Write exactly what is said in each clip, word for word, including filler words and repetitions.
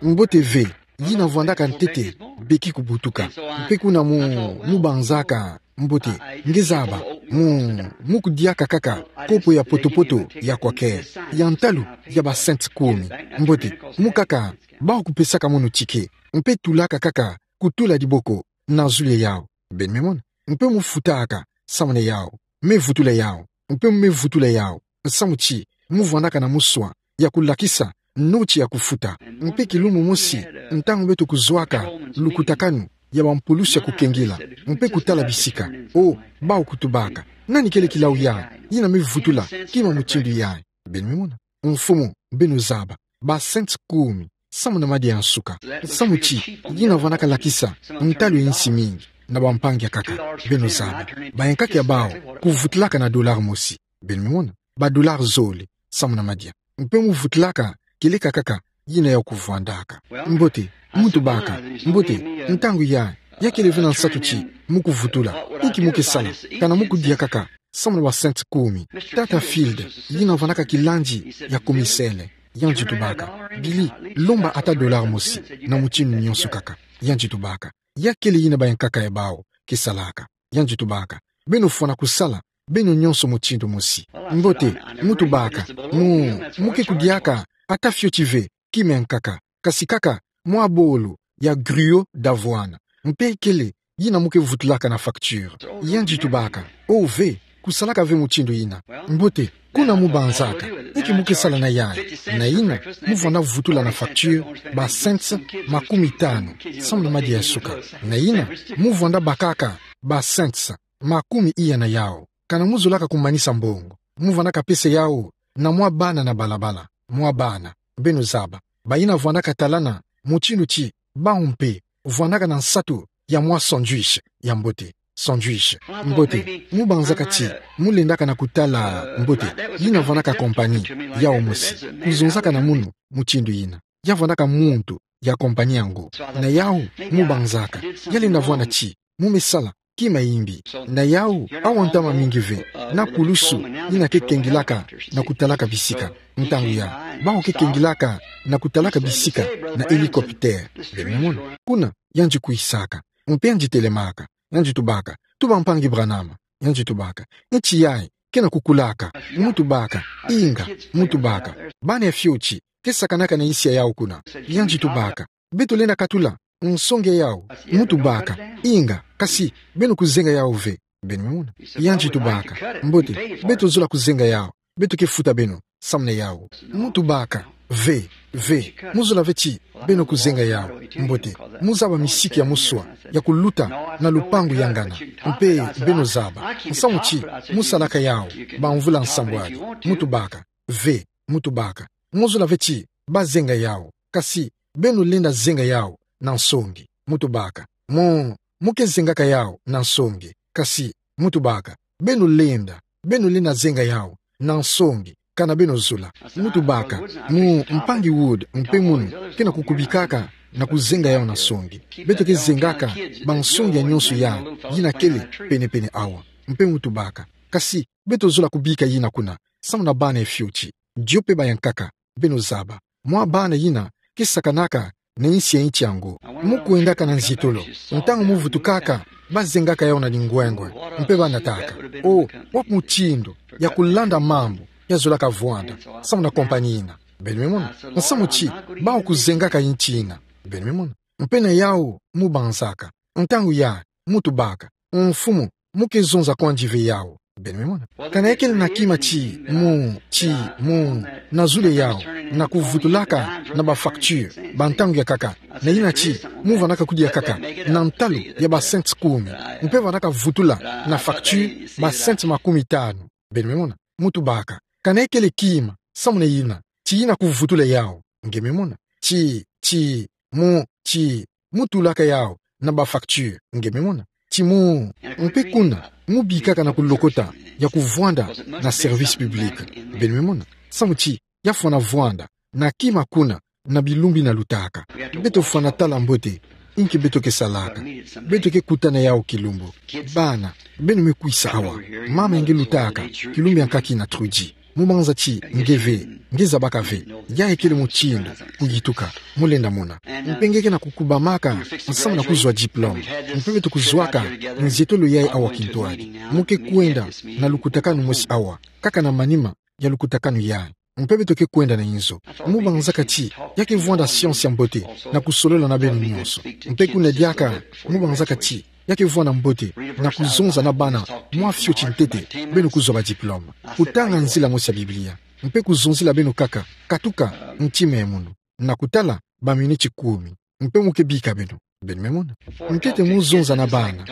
Mbote ve, yina vwandaka ntete beki kubutuka. Mpe kuna mu, mu banzaka mbote, nge zaba, mu, mu kudiaka kaka kopo ya poto-poto ya Quaker, ya ntalu ya ba cents kumi. Mbote, mu kaka, bau kupesaka mono tike, mpe tulaka kaka kutula diboko na zulu ya yau. Beno me mona. Mpe mu futaka, samu na yau. Me vutula yau. Mpe me vutula yau. Samu ti, mu vwandaka na muswa ya kulakisa noti ya kufuta. Mpe kilumbu mosi, ntangu beto kuzwaka lukutakanu ya bampulusi ya kukengila, mpe kutala bisika, o, bau kutubaka: Nani kele kilau ya, yina me vutula kima mutindu yayi? Beno me mona. Mfumu, beno zaba, ba cents kumi, samu na madia ya nsuka. Samu ti, yina vwandaka lakisa ntalu ya insi mingi na bampangi akaka. Beno zaba, bayankaka ya bau kuvutulaka na dollar mosi. Beno me mona. Ba dollar zole, samu na madia. Mpe mu vutulaka, kieleka kaka yina yau kuvwandaka. Mbote, mu tubaka, mbote, ntangu ya, ya kele ve na nsatu ti mu kuvutula. Inki mu ke sala, kana mu kudia kaka samu na ba cents kumi? Tata Field, yina vwandaka kilandi ya komisele, yandi tubaka: Billy, lomba ata dollar mosi, na mutindu nyonso kaka. Yandi tubaka: Ya kele yina bayankaka ya bau ke salaka. Yandi tubaka: Beno fwana kusala beno nyonso mutindu mosi. Mbote, mu tubaka, mu, mu ke kudiaka ata fioti ve kima yankaka, kasi kaka mwa bolo ya griot d'avoine. Mpe kele yina mu ke vutulaka na facture. Yandi tubaka: O ve, kusalaka ve mutindu yina. Mbote, kuna mu banzaka: Inki mu ke sala na yayi? Na yina, mu vwanda vutula na facture ba cents makumi tanu, samu na madia ya nsuka. Na yina, mu vwanda bakaka ba cents makumi iya na yau. Kana mu zolaka kumanisa mbongo, mu vwandaka pesa yau na mwa bana na balabala. Mwa bana, beno zaba, bayina vwandaka talana mutindu ti bau mpe vwandaka na nsatu ya mwa sandwich ya mbote. Sandwich. Mbote, mu banzaka ti mu lendaka na kutala, mbote, yina vwandaka compagnie yau mosi, kuzonzaka na munu mutindu yina. Ya vwandaka muntu ya compagnie yango. Na yau, mu banzaka, ya lenda vwanda ti mu me sala kima yimbi. Na yau, awa ntama mingi ve na pulusu yina ke kengilaka na kutalaka bisika. Ntangu ya, bau ke kengilaka na kutalaka bisika na hélicoptère. Beno me mona. Kuna yandi kwisaka, mpe yandi telemaka. Yandi tubaka: Tuba, mpangi Branham. Yandi tubaka: Nti yayi ke na kukulaka? Mu tubaka: Inga. Mu tubaka: Bana ya fioti ke sakanaka na insi ya yau kuna. Yandi tubaka: Beto lenda katula nsonge ya yau? Mu tubaka: Inga, kasi beno kuzenga yau ve. Beno me mona. Yandi tubaka: Mbote, beto zola kuzenga yau. Beto ke futa beno samu na yau. Mu tubaka: Ve, ve, mu zola ve ti beno kuzenga yau. Mbote, mu zaba misiki ya muswa ya kuluta na lupangu ya ngana. Mpe beno zaba, nsamu ti mu salaka yau bamvula nsambwadi. Mu tubaka: Ve, mu tubaka, mu zola ve ti ba zenga yau, kasi beno lenda zenga yau na nsongi. Mu tubaka: Mu, mu ke zengaka yau na nsongi, kasi, mu tubaka, beno lenda, beno lenda zenga yau na nsongi, kana beno zola. Mu tubaka: Mu, mpangi Wood, mpe munu ke na kukubikaka na kuzenga yau na nsongi. Beto ke zengaka bansongi ya nyonso ya, yina kele penepene awa. Mpe mu tubaka: Kasi beto zola kubika yina kuna samu na bana ya fioti, dio mpe bayankaka. Beno zaba, mwa bana yina ke sakanaka na insi ya nti yango. Mu kwendaka na nzietolo, ntangu mu vutukaka, ba zengaka yau na lingwengwe, mpe ba nataka: O, wapi mutindu ya kulanda mambu ya zolaka vwanda samu na compagnie yina? Beno me mona. Nsamu ti bau kuzengaka nti yina. Beno me mona. Mpe na yau, mu banzaka, ntangu ya, mu tubaka: Mfumu, mu ke zonza kwandi ve yau. Beno me mona. Kana ya kele na kima ti mu, ti mu, na zulu ya yau, na kuvutulaka na ba facture ba ntangu ya nkaka, na yina ti mu vwandaka kudia kaka na ntalu ya ba cents kumi, mpe vwandaka vutula na facture ba cents makumi tanu. Beno me mona. Mu tubaka: Kana ya kele kima samu na yina ti yina kuvutula yau? Nge me mona. Ti, ti mu, ti mu tulaka yau na ba facture. Nge me mona. Ti mu, mpe kuna mu bikaka na kulokota ya kuvwanda na service public. Beno me mona. Samu ti ya fwana vwanda na kima kuna na bilumbu yina lutaka. Beto fwana tala mbote inki beto ke salaka. Beto ke kuta na yau kilumbu. Bana, beno me kwisa awa. Mama nge lutaka kilumbu ya nkaka yina, Trudy. Mubanza ti nge ve, nge zabaka ve, ya ekele mutindu kuyituka, mulenda mona. Mpe nge ke na kukubamaka nsamu na kuzwa diplôme. Mpe beto kuzwaka nzietolo yayi awa kintwadi. Mu ke kwenda na lukutakanu mosi awa, kaka na manima ya lukutakanu yayi. Mpe beto ke kwenda na inzo. Mubanzaka ti ya ke vwanda science ya mbote na kusolola na beno nyonso. Mpe kuna diaka, mubanzaka ti ya ke vwanda mbote na kuzonza na bana mwa fioti ntete, beno kuzwa ba diplôme. Kutanga nzila mosi ya Biblia. Mpe kuzonzela beno kaka, katuka ntima ya munu. Na kutala ba miniti kumi. Mpe mu ke bika beno. Beno me mona. Ntete mu zonza na bana.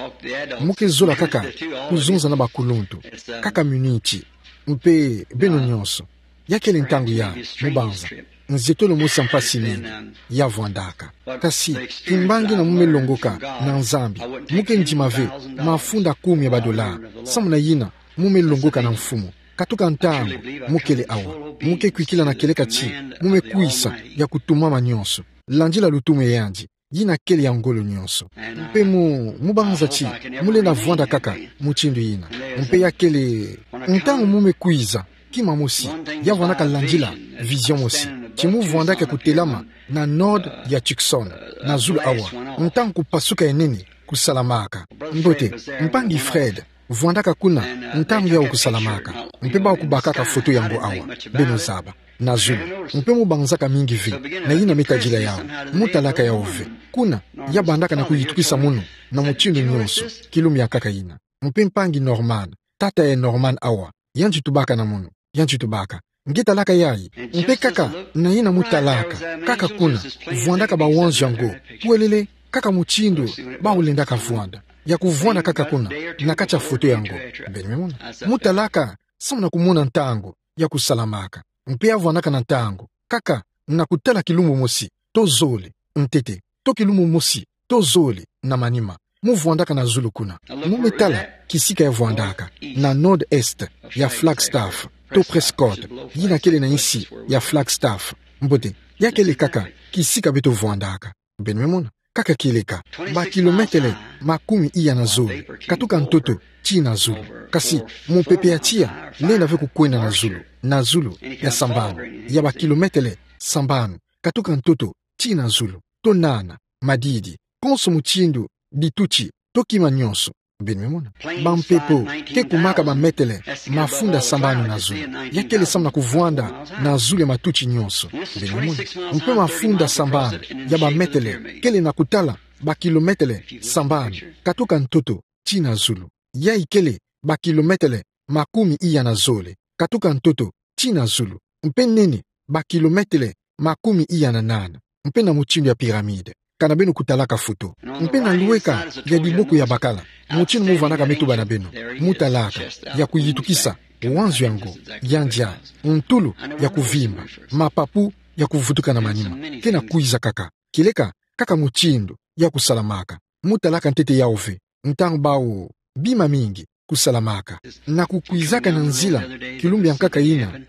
Mu ke zola kaka kuzonza na bakuluntu. Kaka miniti. Mpe beno nyonso. Ya kele ntangu ya, mubanza. Nzietolo mosi ya mpasi nini ya vwandaka. Kasi, kimbangi na mu me longoka na Nzambi, mu ke ndima ve mafunda kumi ya ba dollar, samu na yina mu me longoka na mfumu. Katuka ntangu, mu kele awa. Mu ke kwikila na kieleka ti mu me kwisa ya kutumama nyonso. Landila lutumu ya yandi, yina kele ya ngolo nyonso. Mpe mu, mubanza ti mu lenda vwanda kaka mutindu yina. Mpe ya kele, ntangu mu me kwiza, kima mosi ya vwandaka landila vision mosi. Ti mu vwandaka kutelama na node ya Tucson, na zulu awa, ntangu kupasuka ya nene kusalamaka. Mbote, mpangi Fred vwandaka kuna ntangu yawu kusalamaka. Mpe bawu kubakaka foto yango awa, beno zaba, na zulu. Mpe mubanzaka mingi ve na yina me tadila yawu. Mu talaka yawu ve. Kuna, ya bandaka na kuyitukisa munu na mutindu nyonso, kilumbu ya nkaka yina. Mpe mpangi Norman, tata ya Norman awa, yandi tubaka na munu, yandi tubaka. Nge talaka yayi, mpe kaka na yina mu talaka, kaka kuna, vwandaka ba wanzu yango, kwelele, kaka mutindu bawu lendaka vwanda, ya kuvwanda kaka kuna, na kati ya foto yango. Beno me mona. Mu talaka, samu na kumona ntangu ya kusalamaka. Mpe ya vwandaka na ntangu, kaka na kutala kilumbu mosi to zole, ntete, to kilumbu mosi to zole na manima. Mu vwandaka na zulu kuna. Mu me tala kisika ya vwandaka, na nord-est ya Flagstaff, to Prescott, yina kele na insi ya Flagstaff. Mbote, ya kele kaka kisika beto vwandaka. Beno me mona, kaka kieleka, ba kilometele makumi iya na zole, katuka ntoto tii na zulu. Kasi, mupepe ya tiya lenda ve kukwenda na zulu, na zulu ya sambanu, ya ba kilometele sambanu, katuka ntoto tii na zulu, to nana, madidi, konso mutindu, bituti, to kima nyonso. Beno me mona. Bampepo ke kumaka ba metele mafunda sambanu na zulu. Ya kele samu na kuvwanda na zulu ya matuti nyonso. Beno me mona. Mpe mafunda sambanu ya ba metele kele na kutala ba kilometele sambanu, katuka ntoto tii na zulu. Yayi kele ba kilometele makumi iya na zole, katuka ntoto tii na zulu. Mpe nene ba kilometele makumi iya na nana, mpe na mutindu ya pyramide, kana beno kutalaka foto. Mpe na lweka ya diboko ya bakala, mutindu mu vwandaka me tuba na beno, mu talaka, ya kuyitukisa, wanzu yango, yandi ya, ntulu ya kuvimba, mapapu ya kuvutuka na manima, ke na kwiza kaka, kieleka, kaka mutindu ya kusalamaka. Mu talaka ntete yawu ve, ntangu bawu bima mingi kusalamaka. Na kukwizaka na nzila, kilumbu ya nkaka yina,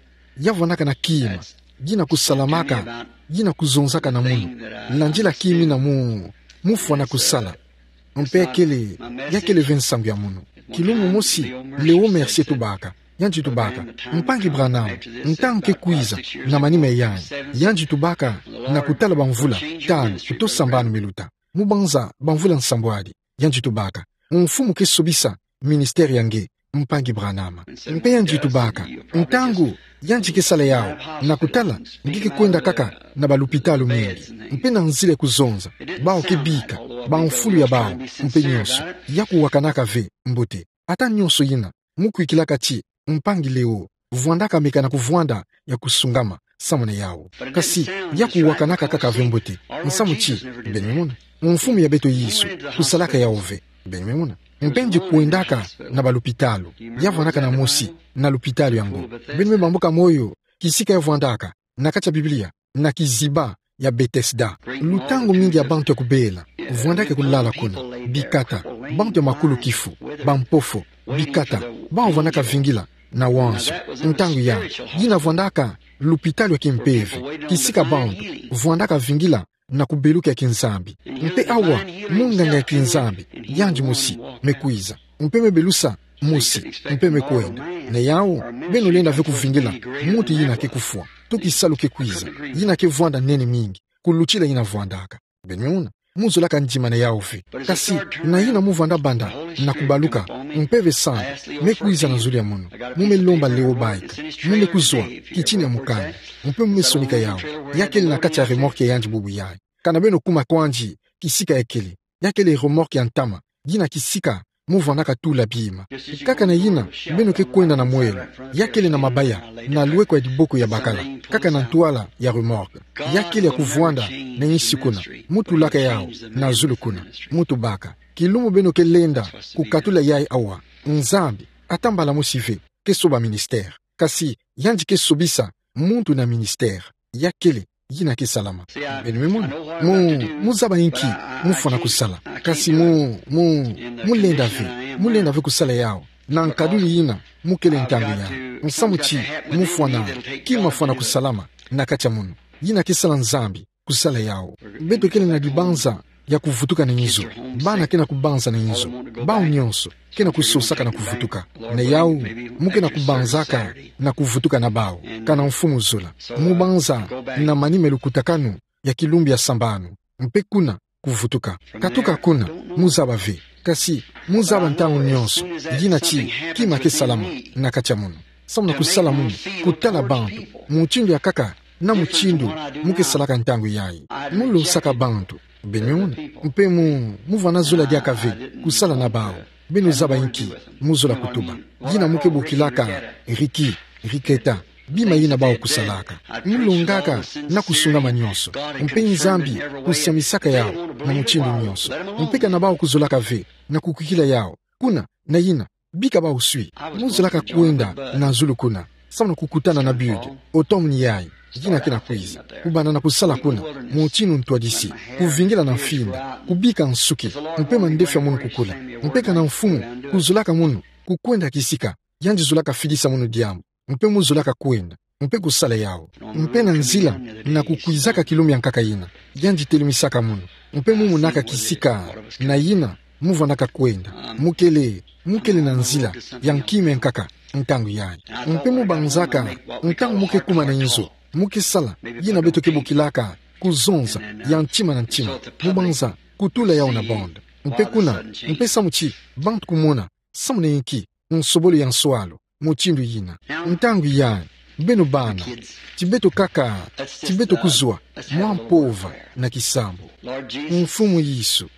ya vwandaka na kima, yina kusalamaka, yina kuzonzaka na munu, landila kima yina mu, mu fwana kusala. Mpe ya kele, ya kele ve nsangu ya munu. Kilumbu mosi, Leo Mercier tubaka, yandi tubaka, mpangi Branham, ntangu ke kwiza, na manima ya yandi, yandi tubaka, na kutala bamvula tanu to sambanu miluta. Mu banza bamvula nsambwadi, yandi tubaka, mfumu ke sobisa ministère ya nge, mpangi Branham. Mpe yandi tubaka, ntangu yandi ke sala yawu, na kutala, nge ke kwenda kaka na balupitalu mingi, mpe na nzila ya kuzonza, bawu ke bika bamfulu ya bawu, mpe nyonso, ya kuwakanaka ve mbote. Ata nyonso yina, mu kwikilaka ti, mpangi Leo, vwandaka meka na kuvwanda ya kusungama, samu na yawu. Kasi, ya kuwakanaka kaka ve mbote, nsamu ti, beno me mona, mfumu ya beto Yesu, kusalaka yawu ve, beno me mona. Mpe yandi kwendaka na balupitalu, ya vwandaka na mosi, na lupitalu yango. Beno me bambuka moyo, kisika ya vwandaka, na kati ya Biblia, na kiziba ya Bethesda. Lutangu mingi ya bantu ya kubela, vwandaka kulala kuna, bikata, bantu ya makulu kifu, bampofo, bikata, bawu vwandaka vingila na wanzu. Ntangu ya, yina vwandaka lupitalu ya kimpeve, kisika bantu vwandaka vingila na kubeluka ya kinzambi. Mpe awa, munganga ya kinzambi, yandi mosi, me kwiza. Mpe me belusa mosi, mpe me kwenda. Na yau, beno lenda ve kuvingila muntu yina ke kufwa, to kisalu ke kwiza, yina ke vwanda nene mingi kulutila yina vwandaka. Beno mona, mu zolaka ndima na yau ve. Kasi, na yina mu vwanda banda na kubaluka, mpeve sanda me kwiza na zulu ya mono, mu me lomba leo baika, mu me kuzwa kitini ya mukanda, mpe mu me sonika yau. Ya kele na kati ya remorque ya yandi bubu yayi. Kana beno kuma kwandi kisika ya kele. Ya kele remorque ya ntama, yina kisika mu vwanaka tula bima. Kaka na yina, beno ke kwenda na mwelo. Ya kele na mabaya, na lweko ya diboko ya bakala, kaka na ntwala ya remorque. Ya kele ya kuvwanda na insi kuna, mu tulaka yau na zulu kuna, mu tubaka. Kilumbu beno ke lenda kukatula yayi awa, Nzambi, ata mbala mosi ve, ke soba ministère. Kasi, yandi ke sobisa muntu na ministère. Ya kele yina ke salama. Beno me mona. Mu, mu zaba inki mu fwana kusala. Kasi mu, mu, mu lenda ve, mu lenda ve kusala yau na nkaduni yina mu kele ntangu yayi. Nsamu ti mu fwana, kima fwana kusalama na kati ya mono. Yina ke sala Nzambi kusala yau. Beto kele na dibanza ya kuvutuka na inzo. Bana ke na kubanza na inzo. Bau nyonso ke na kusosaka na kuvutuka. Na yau, mu ke na kubanzaka na kuvutuka na bau, kana mfumu zola. Mu banza na manima ya lukutakanu ya kilumbu ya sambanu, mpe kuna kuvutuka. Katuka kuna, mu zaba ve. Kasi, mu zaba ntangu nyonso yina ti kima ke salama na kati ya mono. Samu na kusala mono, kutala bantu mutindu ya nkaka, na mutindu mu ke salaka ntangu yayi. Mu losaka bantu. Beno mona. Mpe mu, mu vwana zola diaka ve kusala na bau. Beno zaba inki mu zola kutuba. Yina mu ke bokilaka Ricky, Riketa, bima yina bau kusalaka. Mu longaka na kusungama nyonso. Mpe Nzambi kusiamisaka yau na mutindu nyonso. Mpe kana bau kuzolaka ve na kukwikila yau kuna na yina, bika bau swi. Mu zolaka kwenda na zulu kuna, samu na kukutana na Bud, otomni yayi yina ke na kwiza. Kubanda na kusala kuna, mutindu ntwadisi, kuvingila na mfinda, kubika nsuki, mpe mandefu ya mono kukula. Mpe kana mfumu kuzolaka mono kukwenda kisika, yandi zolaka fidisa mono diambu. Mpe mu zolaka kwenda, mpe kusala yau. Mpe na nzila na kukwizaka kilumbu ya nkaka yina, yandi telumisaka mono. Mpe mu monaka kisika na yina mu vwanaka kwenda. Mu kele, mu kele na nzila ya nkima ya nkaka ntangu yayi. Mpe mu banzaka, ntangu mu ke kuma na inzo, mu ke sala yina beto ke bokilaka kuzonza ya ntima na ntima. Mu banza kutula yau na bande. Mpe kuna, mpe samu ti bantu kumona samu na inki nsobolo ya nswalu mutindu yina. Ntangu yayi, beno bana, ti beto kaka, ti beto kuzwa mwa mpova na kisambu. Mfumu Yesu,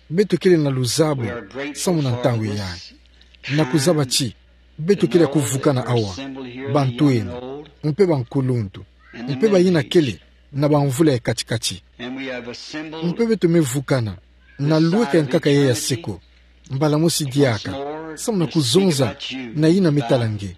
beto kele na luzabu samu na ntangu yayi. Na kuzaba ti beto kele ya kuvukana awa, bantwenia, mpe bankuluntu, mpe bayina kele na bamvula ya kati-kati. Mpe beto me vukana na lweka ya nkaka yayi ya seko, mbala mosi diaka, samu na kuzonza na yina me tala nge,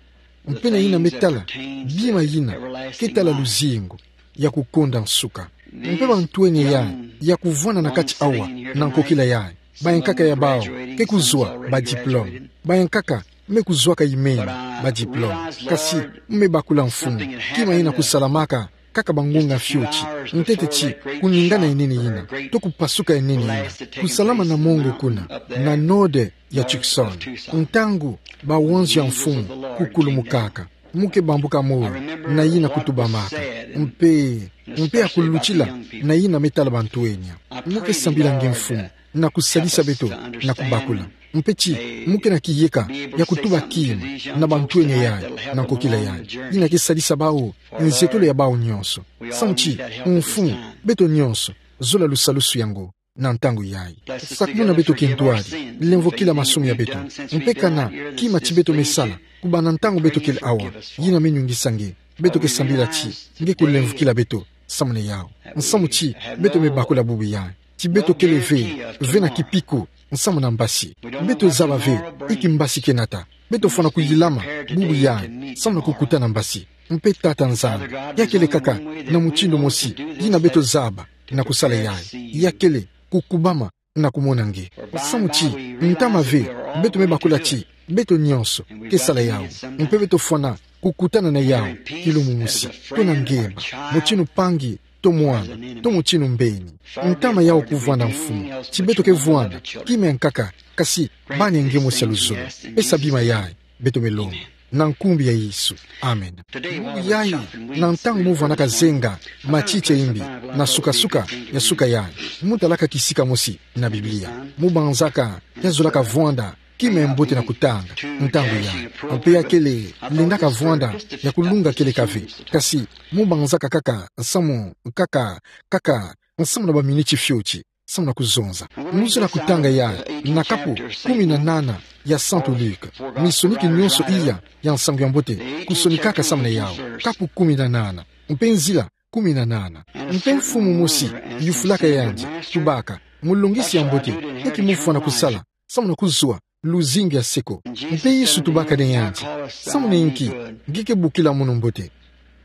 mpe na yina me tala bima yina ke tala luzingu ya kukonda nsuka. Mpe bantwenia yayi ya kuvwanda na kati awa na nkokila yayi, bayankaka ya bau ke kuzwa badiplome, bayankaka me kuzwaka imeni badiplome. Kasi, mu me bakula Mfumu, kima yina kusalamaka kaka bangunga fioti, ntete ti kuningana ya nene yina, to kupasuka ya nene yina, kusalama na mongo kuna, na node ya Tucson, ntangu bawanzu ya Mfumu kukulumukaka, mu ke bambuka moyo na yina kutubamaka, mpe, mpe ya kulutila na yina me tala bantwenia. Mu ke sambila nge Mfumu na kusalisa beto na kubakula. Mpe ti mu ke na kiyeka ya kutuba kima na bantwenia yayi na nkokila yayi, yina ke salisa bau nzietolo ya bau nyonso. Samu ti, Mfumu, beto nyonso zola lusalusu yango na ntangu yayi. Sakumuna beto kintwadi, lemvokila masumu ya beto. Mpe kana kima ti beto me sala kubanda ntangu beto kele awa, yina me nungisa nge, beto ke sambila ti nge kulemvokila beto samu na yau. Nsamu ti beto me bakula bubu yayi ti beto kele ve, ve na kipiku nsamu na mbasi. Beto zaba ve inki mbasi ke nata. Beto fwana kuyilama bubu yayi samu na kukutana mbasi. Mpe Tata Nzambi, ya kele kaka na mutindu mosi yina beto zaba na kusala yayi. Ya kele kukubama na kumona nge. Samu ti, ntama ve, beto me bakula ti beto nyonso ke sala yau. Mpe beto fwana kukutana na yau kilumbu mosi, to na ngemba, mutindu mpangi to mwana, to mutindu mbeni. Ntama yaku vwanda mfumu, ti beto ke vwanda, kima nkaka, kasi, bani nge mosi ya luzolo, pesa bima yayi, beto me lomba. Na nkumbu ya Yesu. Amen. Nkumbu yayi, na ntangu mo vwandaka zenga, matiti ya imbi, na suka-suka, ya suka yayi. Mo talaka kisika mosi, na Biblia. Mo banzaka, ya zolaka vwanda, kima mbote na kutanga, ntangu yayi. Mpe ya kele, lendaka vwanda, ya kulunga kele kave. Kasi, mo banzaka kaka, nsamu, kaka, kaka, nsamu na baminiti fioti. Samu na kuzonza. Mo zolaka kutanga yayi, na kapu kumi na nana ya Santu Luka. Misoniki nyonso iya ya nsangu ya mbote, kusonikaka samu na yawu. Kapu kumi na nana. Mpe nzila kumi na nana. Mpe mfumu mosi, yufulaka yandi, tubaka, Mulongisi ya mbote, inki mo fwana kusala, samu na kuzwa luzingu ya seko. Mpe Yesu tubaka na yandi, samu na inki, nge ke bokila mono mbote.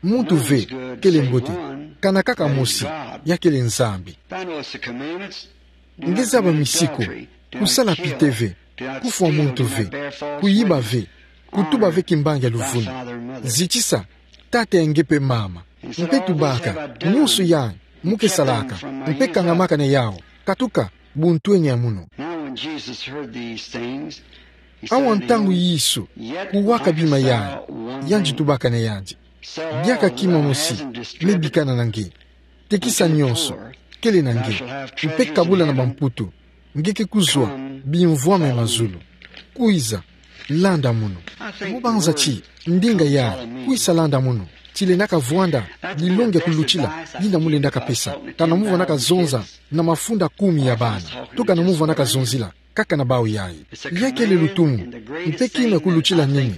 Muntu ve, kele mbote, kana kaka mosi, ya kele Nzambi. Nge zaba misiku, kusala pite ve, kufwa muntu ve, kuyiba ve, kutuba ve kimbangi ya luvunu. Zitisa tata ya nge mpe mama. Mpe tubaka, nyonso yayi, mo ke salaka, mpe kangamaka na yawu, katuka, buntweni ya mono. Awa ntangu Yesu, kuwaka bima yayi, yandi tubaka na yandi. Diaka kima mosi, me bikana na nge. Tekisa nyonso, kele na nge. Mpe kabula na bamputu, nge ke kuzwa, bimvwama ya mazulu. Kwiza, landa mono. Mo banza ti, ndinga yayi, kwiza landa mono. Ti lendaka vwanda, lilongi ya kulutila, yina mo lendaka pesa. Kana mo vwandaka zonza, na mafunda kumi ya bana. To kana mo vwandaka zonzila, kaka na bawu yayi. Ya kele lutumu, mpe kima kulutila nini,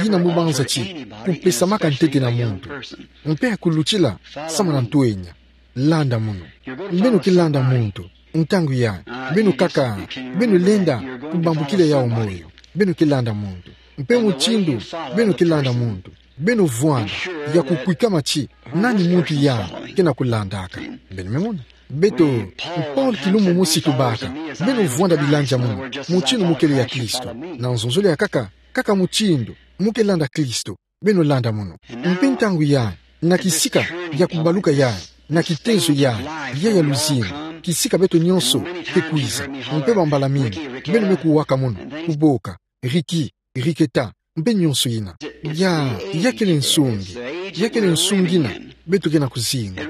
yina mo banza ti, kupesamaka ntete na muntu. Mpe kulutila, samu na ntwenya. Landa mono. Beno ke landa muntu, ntangu yayi, beno kaka, beno lenda, kubambukila yawu moyo. Beno ke landa muntu. Mpe mutindu, beno ke landa muntu. Beno vwanda, ya kukwikama ti, nani muntu yayi, kena kulandaka. Beno me mona. Beto, Paul kilumbu mosi tubaka, beno vwanda bilandi ya mono, mutindu mo kele ya Kristo. Na nzonzolo ya kaka, kaka mutindu, mo ke landa Kristo, beno landa mono. Mpe ntangu yayi, na kisika, ya kubaluka yayi, na kitezo yayi, ya ya luzingu, kisika beto nyonso, ke kwiza, mpe bambala mingi, beno me kuwaka mono, kuboka, riki, riketa, mpe nyonso yina. Ya, ya kele nsungi. Ya kele nsungi yina, beto kena kuzinga.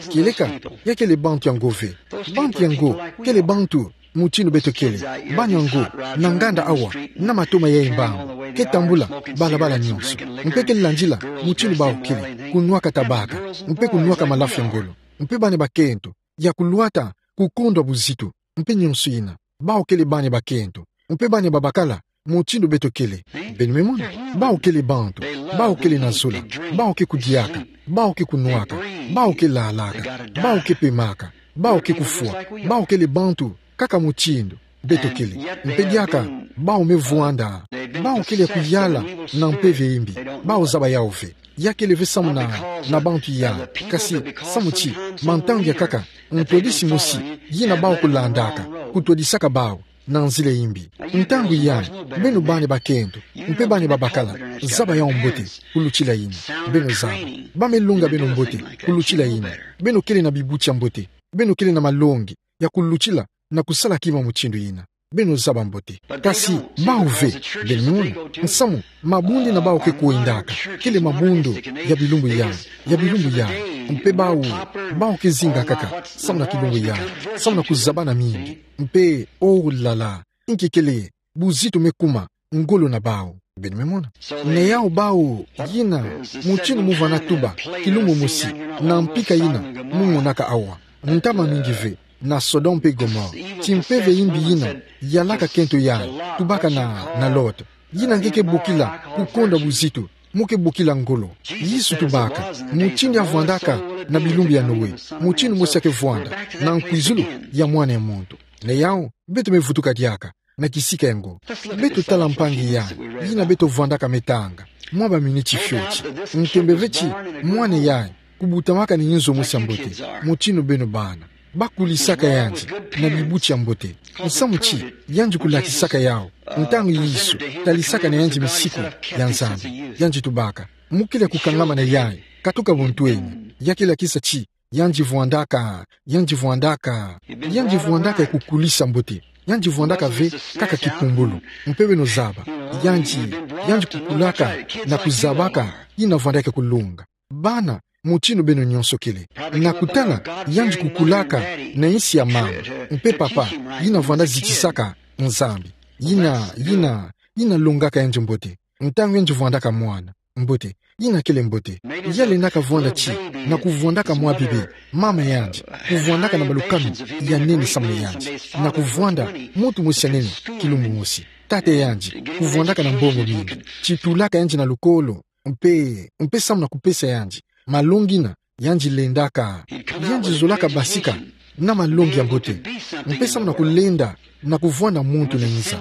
Kieleka, ya kele bantu yango ve. Bantu yango, kele bantu, mutindu beto kele. Bana yango, na nganda awa, na matoma ya mbangu. Ke tambula, balabala nyonso. Mpe ke landila, mutindu bawu kele. Kunwaka tabaka. Mpe kunwaka malafu ya ngolo. Mpe bana bakento, ya kulwata, kukondwa buzitu. Mpe nyonso yina. Bawu kele bana bakento. Mpe bana babakala, mutindu beto kele. Beno me mona. Bawu kele bantu. Bawu kele na zola. Bawu ke kudiaka. Bawu ke kunwaka. Bawu ke lalaka. Bawu ke pemaka. Bawu ke kufwa. Bawu kele bantu. Kaka mutindu beto kele. Mpe diaka. Bawu me vwanda. Bawu kele kuyala. Na mpeve imbi. Bawu zaba yawu ve. Ya kele ve samu na, na bantu yayi. Kasi, samu ti, mantangu ya kaka, ntwadisi mosi, yina bawu kulandaka, kutwadisaka bawu, na nzila imbi. Ntangu yayi, beno bana bakento, mpe bana babakala, zaba yawu mbote, kulutila yina. Beno zaba. Ba me longa beno mbote, kulutila yina. Beno kele na bibuti ya mbote. Beno kele na malongi, ya kulutila, na kusala kima mutindu yina. Beno zaba mbote. Kasi, bawu ve, beno mona, nsamu, mabundu yina bawu ke kwendaka, kele mabundu, ya bilumbu yayi, ya bilumbu yayi, mpe bawu, bawu ke zinga kaka, samu na kilumbu yayi, samu na kuzabana mingi, mpe, oh là là, inki kele, buzitu me kuma, ngolo na bawu. Beno me mona. Na yawu bawu, yina, mutindu mo vwanda tuba, kilumbu mosi, na mpika yina, mo monaka awa. Ntama mingi ve, na Sodome mpe Gomore. Ti mpeve imbi yina, yalaka kento yayi, tubaka na, na Lot. Yina nge ke bokila, kukondwa buzitu, mo ke bokila ngolo. Yesu tubaka, mutindu ya vwandaka, na bilumbu ya Noe. Mutindu mosi ya ke vwanda, na nkwizulu, ya mwana ya muntu. Na yawu, beto me vutuka diaka. Na kisika yango. Beto tala mpangi yayi, yina beto vwandaka me tanga. Mwa baminiti fioti. Ntembe ve ti, mwana yayi, kubutamaka na inzo mosi ya mbote. Mutindu beno bana. Ba kulisaka yandi, na bibuti ya mbote. Nsamu ti, yandi kulatisaka yawu. Ntangu Yesu, talisaka na yandi misiku, ya Nzambi. Yandi tubaka. Mo kele kukangama na yayi, katuka buntwenya. Ya ke lakisa ti, Yandi vwandaka, yandi vwandaka, yandi vwandaka ya kukulisa mbote. Yandi vwandaka ve kaka kipumbulu. Mpe beno zaba, yandi, yandi kukulaka na kuzabaka yina vwandaka kulunga. Bana, mutindu beno nyonso kele. Na kutala, yandi kukulaka na nsi ya mama. Mpe papa, yina vwanda zitisaka Nzambi. Yina, yina, yina longaka yandi mbote. Ntangu yandi vwandaka mwana mbote, yina kele mbote. Ya lendaka vwanda ti, na kuvwandaka mwa bebe, mama yandi kuvwandaka na balukanu ya nene samu na yandi. Na kuvwanda muntu mosi ya nene, kilumbu mosi. Tata yandi kuvwandaka na mbongo mingi. Ti tulaka yandi na lukolo, mpe, mpe samu na kupesa yandi malongi yina yandi lendaka. Yandi zolaka basika na malongi ya mbote, mpe samu na kulenda na kuvwanda muntu na nza,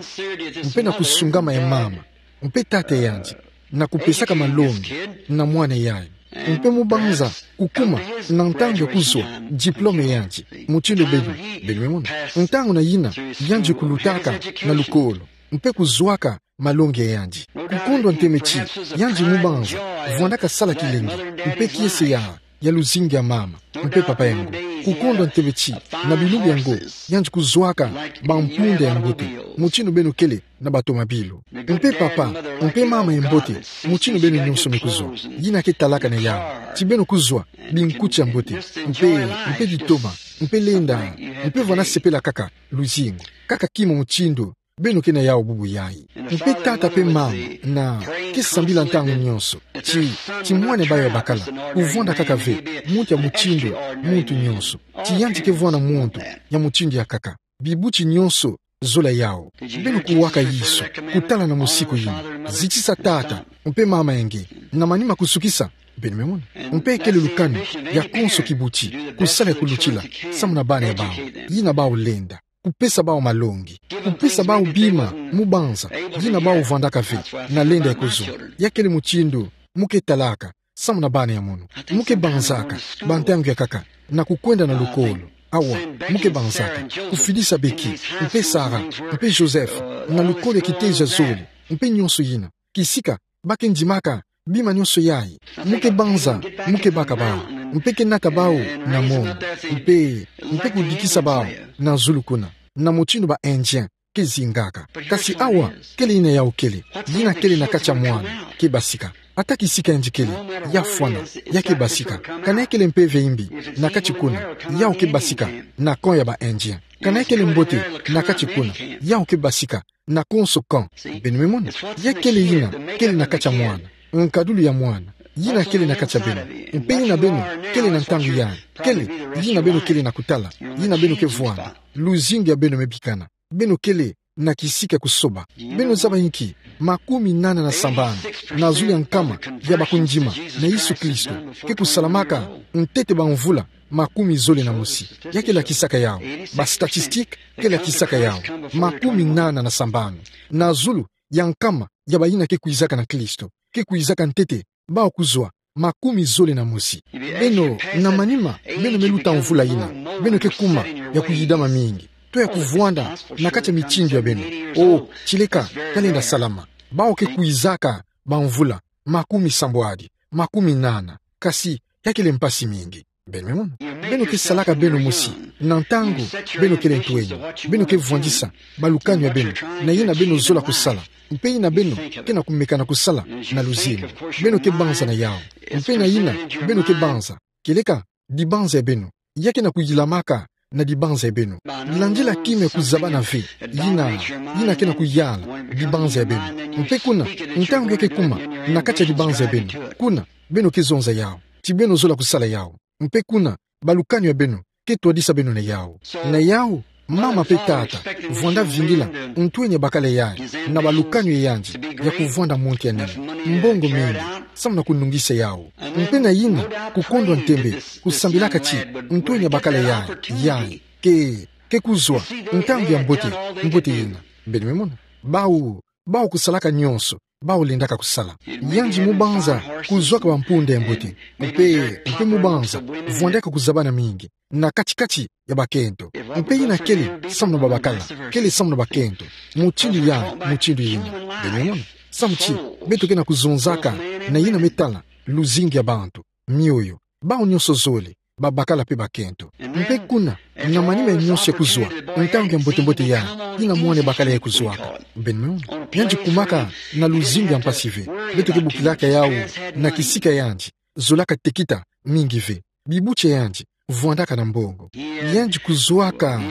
mpe na kusungama ya mama mpe tata yandi, na kupesaka malongi na mwana yayi. Mpe mu banza kukuma na ntangu ya kuzwa diplome yandi, mutindu beno, beno me mona. Ntangu na yina, yandi kulutaka na lukolo, mpe kuzwaka malongi ya yandi. Kukondwa ntembe ti, yandi mu banza vwandaka sala kilengi, mpe kiese ya, ya luzingu ya mama mpe papa yango. Kukondwa ntembe ti, na bilumbu yango, yandi kuzwaka bampunda ya mbote, mutindu beno kele na batomabilu. Mpe papa mpe mama ya mbote, mutindu beno nyonso me kuzwa. Yina ke talaka na yawu ti beno kuzwa binkuti ya mbote, mpe, mpe bitoma, mpe lenda, mpe vwanda sepela kaka luzingu, kaka kima mutindu beno ke na yawu bubu yayi. Mpe tata mpe mama na ke sambila ntangu nyonso ti, ti mwana bawu ya bakala kuvwanda kaka ve muntu ya mutindu, muntu nyonso. Ti yandi ke vwanda muntu ya mutindu ya kaka. Bibuti nyonso zola yawu. Beno kuwaka yiso, kutala na musiku yina. Zitisa tata mpe mama ya nge na manima kusukisa. Beno me mona. Mpe kele lukanu ya konso kibuti, kusala ya kulutila samu na bana ya bawu, yina bawu lenda. Kupesa bawu malongi. Kupesa bawu bima mu banza yina bawu vwandaka ve na lenda ya kuzwa. Ya kele mutindu mu ke talaka samu na bana ya mono. Mu ke banzaka bantangu ya nkaka na kukwenda na lukolo. Awa, mu ke banzaka kufidisa Becky mpe Sarah mpe Joseph na lukolo ya kitezo ya zole, mpe nyonso yina. Kisika ba ke ndimaka bima nyonso yayi. Mu ke banza, mu ke baka bawu, mpe ke nata bawu na mongo, mpe, mpe kudikisa bawu na zulu kuna, na mutindu ba Indien ke zingaka. Kasi awa, kele yina yawu kele. Yina kele na kati ya mwana ke basika. Ata kisika yandi kele, ya fwana, ya ke basika. Kana ya kele mpeve yimbi na kati kuna, yawu ke basika na camp ya ba Indien. Kana ya kele mbote na kati kuna, yawu ke basika na konso camp. Beno me mona. Ya kele yina kele na kati ya mwana, nkadulu ya mwana. Yina kele na kati ya beno. Mpe yina beno kele na ntangu yayi. Kele yina beno kele na kutala, yina beno ke vwanda. Luzingu ya beno me bikana. Beno kele na kisika ya kusoba. Beno zaba inki? Makumi nana na sambanu na zulu ya nkama ya bakundima na Yesu Kristo ke kusalamaka ntete bamvula makumi zole na mosi. Ya ke lakisaka yawu. Ba statistique ke lakisaka yawu. Makumi nana na sambanu na zulu ya nkama ya bayina ke kwizaka na Kristo, ke kwizaka ntete, bawu kuzwa makumi zole na mosi. Beno, na manima beno me luta mvula yina, beno ke kuma ya kuyidama mingi, to ya kuvwanda na kati ya mitindu ya beno. O, tileka, ka lenda salama. Bawu ke kwizaka bamvula makumi sambwadi, makumi nana. Kasi ya kele mpasi mingi. Beno me mona. Beno ke salaka beno mosi na ntangu beno kele ntwenya. Beno ke vwandisa balukanu ya beno na yina beno zola kusala, mpe yina beno ke na kumeka na kusala na luzingu. Beno ke banza na yawu. Mpe na yina beno ke banza, kieleka dibanza ya beno ya ke na kuyilamaka na dibanza ya beno. Landila kima ya kuzabana ve yina, yina ke na kuyala dibanza ya beno. Mpe kuna, ntangu ya ke kuma na kati ya dibanza ya beno, kuna beno ke zonza yawu ti beno zola kusala yawu. Mpe kuna, balukanu ya beno ke twadisa beno na yawu. Na yawu, mama mpe tata vwanda vingila ntwenya ya bakala yayi na balukanu ya yandi ya kuvwanda muntu ya nene, mbongo mingi, samu na kunungisa yawu. Mpe na yina, kukondwa ntembe, kusambilaka ti ntwenya ya bakala yayi, yayi ke, ke kuzwa ntangu ya mbote, mbote yina. Beno me mona. Bawu, bawu kusalaka nyonso bawu lendaka kusala. Yandi mu banza kuzwaka bampunda ya mbote, mpe, mpe mu banza vwandaka kuzabana mingi na kati-kati ya bakento. Mpe yina kele samu na babakala, kele samu na bakento. Mutindu ya, mutindu yina. Beno me mona. Samu ti beto ke na kuzonzaka na yina me tala luzingu ya bantu, mioyo. Bawu nyonso zole babakala pe bakento. Mpe kuna, na manima ya nyonso ya kuzwa, ntangu ya mbote-mbote yayi, ina mwana bakala yayi kuzwaka. Beno me mona. Yandi kumaka na luzingu ya mpasi ve. Beto ke bokilaka yawu na kisika yandi zolaka tekita mingi ve. Bibuti ya yandi vwandaka na mbongo. Yandi kuzwaka,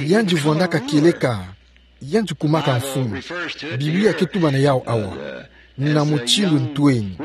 yandi vwandaka kieleka, yandi kumaka mfumu. Biblia ke tuba na yawu awa na mutindu ntweni,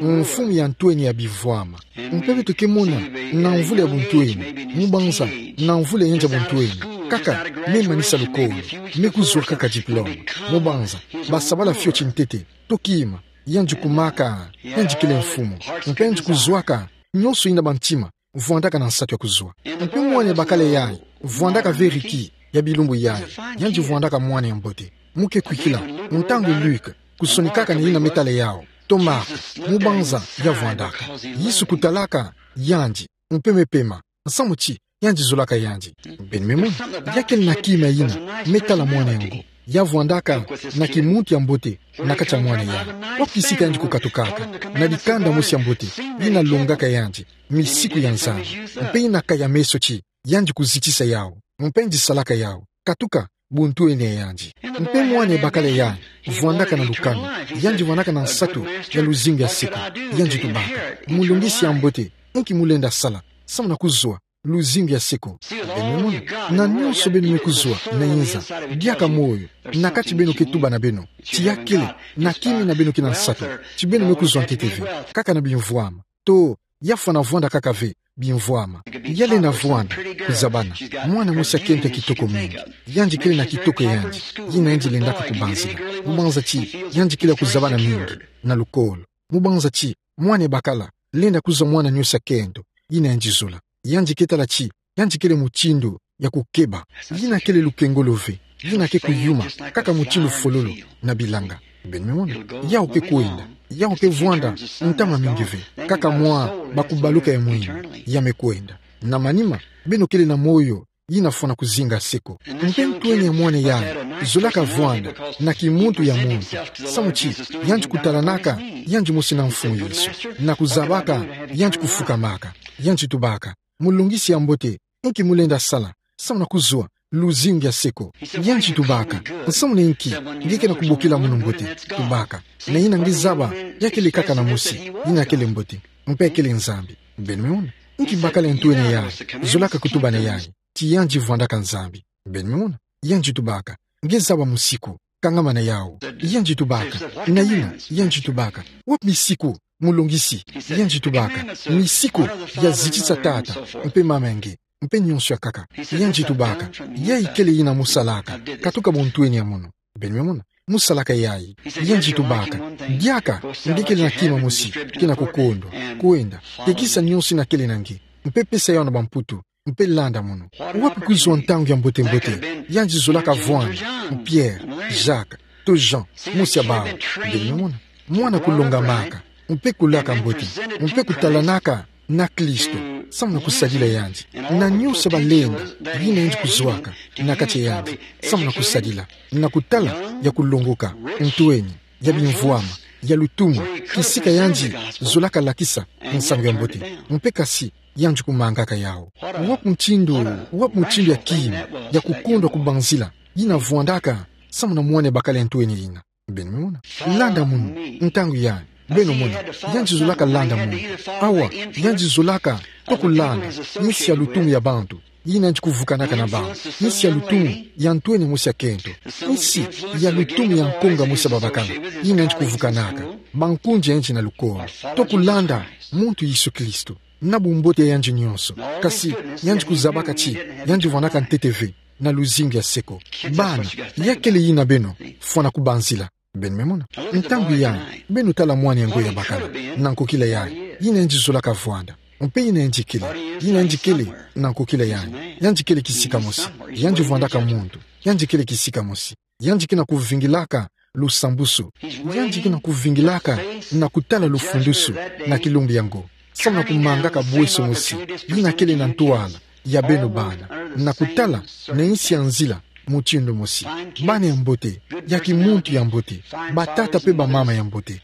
mfumu ya ntweni ya bivwama. Mpe beto ke mona na mvula ya buntweni, mubanza na mvula ya yandi ya buntweni, kaka me manisa lukolo, me kuzwa kaka diplôme. Mubanza basabala fioti ntete, to kima, yandi kumaka, yandi kele mfumu. Mpe yandi kuzwaka nyonso ina bantima vwandaka na nsatu ya kuzwa. Mpe mwana bakala yayi vwandaka ve riki ya bilumbu yayi, yandi vwandaka mwana ya mbote. Mu ke kwikila, ntangu Luc kusonikaka na ina me tala yawu, to Marc, mubanza ya vwandaka, Yesu kutalaka yandi, mpe me pema, nsamu ti yandi zolaka yandi. Beno me mona, ya kele na kima ina me tala mwana yango, ya vwandaka na kimuntu ya mbote na kati ya mwana yayi. Wapi kisika yandi kukatukaka? Na dikanda mosi ya mbote ina longaka yandi misiku ya Nzambi, mpe ina kaya meso ti yandi kuzitisa yawu, mpe yandi salaka yawu. Katuka buntweni ya yandi. Mpe mwana bakala yayi vwandaka na lukanu, yandi vwandaka na nsatu ya luzingu ya seko. Yandi tubaka: Mulongisi ya mbote, inki mu lenda sala samu na kuzwa luzingu ya seko? Beno me mona, na nyonso beno me kuzwa na inza, diaka moyo na kati beno ke tuba na beno ti ya kele na kima ina beno ke na nsatu, ti beno me kuzwa ntete ve, kaka na bimvwama, to ya fwana vwanda kaka ve bimvwama. Ya lenda vwanda kuzabana. Mwana mosi ya kento ya kitoko mingi. Yandi kele na kitoko ya yandi ina yandi lendaka kubanzila, mubanza ti yandi kele ya kuzabana mingi na lukolo. Mubanza ti mwana bakala lenda kuzwa mwana nyonso ya kento ina yandi zola. Yandi ke tala ti yandi kele mutindu ya kukeba, ina kele lukengolo ve, ina ke kuyuma kaka mutindu fololo na bilanga. Beno me mona, yawu ke kwenda, yawu ke vwanda ntama mingi ve, kaka mwa bakubaluka ya mwini, ya me kwenda. Na manima, beno kele na moyo ina fwana kuzinga seko. Mpe ntweni ya mwana yayi zolaka vwanda na kimuntu ya muntu, samu ti yandi kutalanaka yandi mosi na Mfumu Yesu, na kuzabaka yandi kufukamaka. Yandi tubaka: Mulongisi ya mbote, inki mu lenda sala samu na kuzwa luzingu ya seko? Yandi tubaka: Nsamu na inki nge ke na kubokila mono mbote? Tubaka: Na ina nge zaba, ya kele kaka na mosi ina kele mbote, mpe kele Nzambi. Beno me mona, inki bakala ya ntweni yayi zolaka kutuba na yayi ti yandi vwandaka Nzambi? Beno me mona, yandi tubaka: Nge zaba musiku, kangama na yawu. Yandi tubaka: Na ina? Yandi tubaka: Wapi misiku, Mulongisi? Yandi tubaka: Misiku ya zitisa tata mpe mama ya nge, mpe nyonso ya nkaka. Yandi tubaka: Yayi kele ina mu salaka katuka buntweni ya mono? Beno me mona, mu salaka yayi. Yandi tubaka: Diaka nge kele na kima mosi ke na kukondwa. Kwenda, tekisa nyonso ina kele na nge, mpe pesa yawu na bamputu, mpe landa mono. Wapi kuzwa ntangu ya mbote-mbote yandi zolaka vwanda na Pierre, Jacques, to Jean, mosi ya bawu? Beno me mona, mwana kulongamaka, mpe kulaka mbote, mpe kutalanaka na Kristo samu na kusadila yandi, na nyonso balenda ina yandi kuzwaka na kati ya yandi samu na kusadila, na kutala ya kulongoka ntweni, ya bimvwama, ya lutumu, kisika yandi zolaka lakisa nsangu ya mbote, mpe kasi yandi kumangaka yawu. Wapi mutindu, wapi mutindu ya kima ya kukondwa kubanzila ina vwandaka samu na mwana bakala ya ntweni ina? Beno me mona, landa mono. Ntangu yayi, beno mona, yandi zolaka landa mono. Awa, yandi zolaka to kulanda insi ya lutumu ya bantu ina yandi kuvukanaka na bawu, insi ya lutumu ya ntweni mosi ya kento, insi ya lutumu ya nkonga mosi ya babakala ina yandi kuvukanaka, bankunzi ya yandi na lukolo, to kulanda muntu Yesu Kristo na bumbote ya yandi nyonso. Kasi yandi kuzabaka ti yandi vwandaka ntete ve na luzingu ya seko. Bana, ya kele ina beno fwana kubanzila. Beno me mona, ntangu yayi, beno tala mwana yango ya bakala na nkokila yayi, ina yandi zolaka vwanda, mpe ina yandi kele, ina yandi kele na nkokila yayi, yandi kele kisika mosi, yandi vwandaka muntu, yandi kele kisika mosi. Yandi ke na kuvingilaka lusambusu. Yandi ke na kuvingilaka na kutala lufundusu na kilumbu yango, samu na kumangaka bweso mosi ina kele na ntwala ya beno bana, na kutala na insi ya nzila mutindu mosi. Bana ya mbote, ya kimuntu ya mbote, batata mpe bamama ya mbote.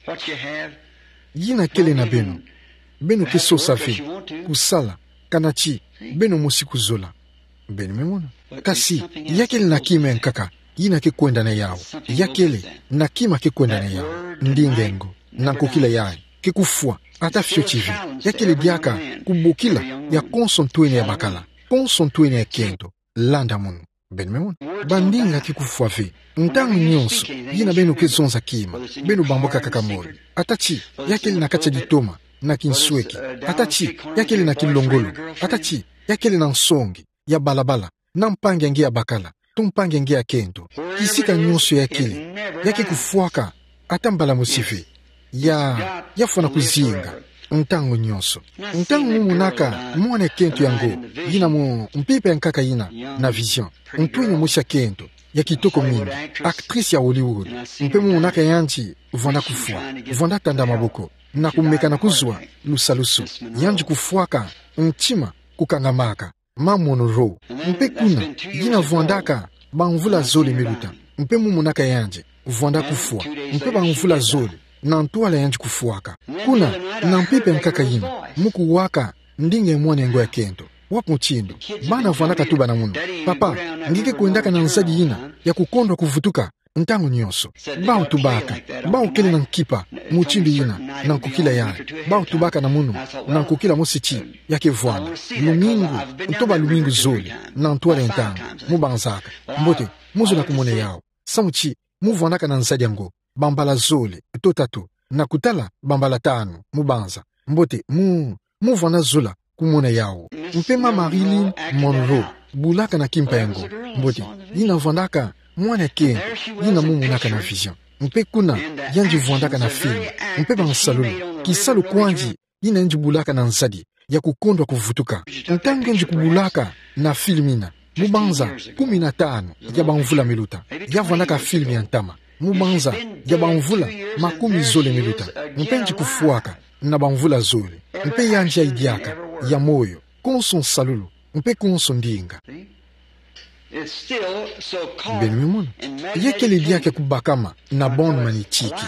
Ina kele na beno, beno ke sosa ve kusala Kana ti, beno mosi kuzola. Beno me mona. Kasi, ya kele na kima ya nkaka, yina ke kwenda na yawu. Ya kele na kima ke kwenda na yawu. Ndinga engo, na nkokila yayi, ke kufwa, ata fioti ve. Ya kele diaka kubokila ya konso ntwenia ya bakala, konso ntwenia ya kento. Landa munu. Beno me mona. Bandinga ke kufwa ve. Ntangu nyonso yina beno ke zonza kima, beno bamboka kaka moyo. Ata ti ya kele na kati ya ditoma, na kinsweki. Ata ti ya kele na kilongolo. Ata ti ya kele na nsongi ya balabala, na mpangi ya nge ya bakala, to mpangi ya nge ya kento. Kisika nyonso ya kele, ya ke kufwaka ata mbala mosi ve. Ya, ya fwana kuzinga ntangu nyonso. Ntangu mu monaka mwana ya kento yango, yina mu mpimpa ya nkaka yina na vision, ntwenia mosi ya kento ya kitoko mingi, actrice ya Hollywood, mpe mu monaka yandi vwanda kufwa, vwanda tanda maboko, na kumeka na kuzwa lusalusu. Yandi kufwaka ntima kukangamaka, Mama Monroe. Mpe kuna, yina vwandaka bamvula zole me luta. Mpe mu monaka yandi vwanda kufwa. Mpe bamvula zole na ntwala yandi kufwaka. Kuna, na mpimpa ya nkaka yina, mu kuwaka ndinga ya mwana yango ya kento. Wapi mutindu? Bana vwandaka tuba na munu: Papa, nge ke kwendaka na nzadi yina ya kukondwa kuvutuka ntangu nyonso. Bawu tubaka, bawu kele na nkipa mutindu yina, na nkokila yayi. Bawu tubaka na munu, na nkokila mosi ti ya ke vwanda lumingu, to balumingu zole na ntwala ya ntangu. Mu banzaka. Mbote, mu zola kumona yawu. Samu ti mu vwandaka na nzadi yango bambala zole to tatu, na kutala bambala tanu, mu banza. Mbote, mu, mu vwanda zola kumona yawu. Mpe Mama Marilyn Monroe bulaka na kimpa yango. Mbote, yina vwandaka mwana ya kento, yina mu monaka na vision. Mpe kuna, yandi vwandaka na film. Mpe bansalulu, kisalu kwandi, yina yandi bulaka na nzadi ya kukondwa kuvutuka. Ntangu yandi kubulaka na film yina, mu banza kumi na tanu ya bamvula me luta. Ya vwandaka film ya ntama. Mu banza ya bamvula makumi zole me luta. Mpe yandi kufwaka na bamvula zole. Mpe yandi yayi diaka ya moyo, konso nsalulu, mpe konso ndinga. Beno me mona. Ya kele diaka kubakama na bande magnétique.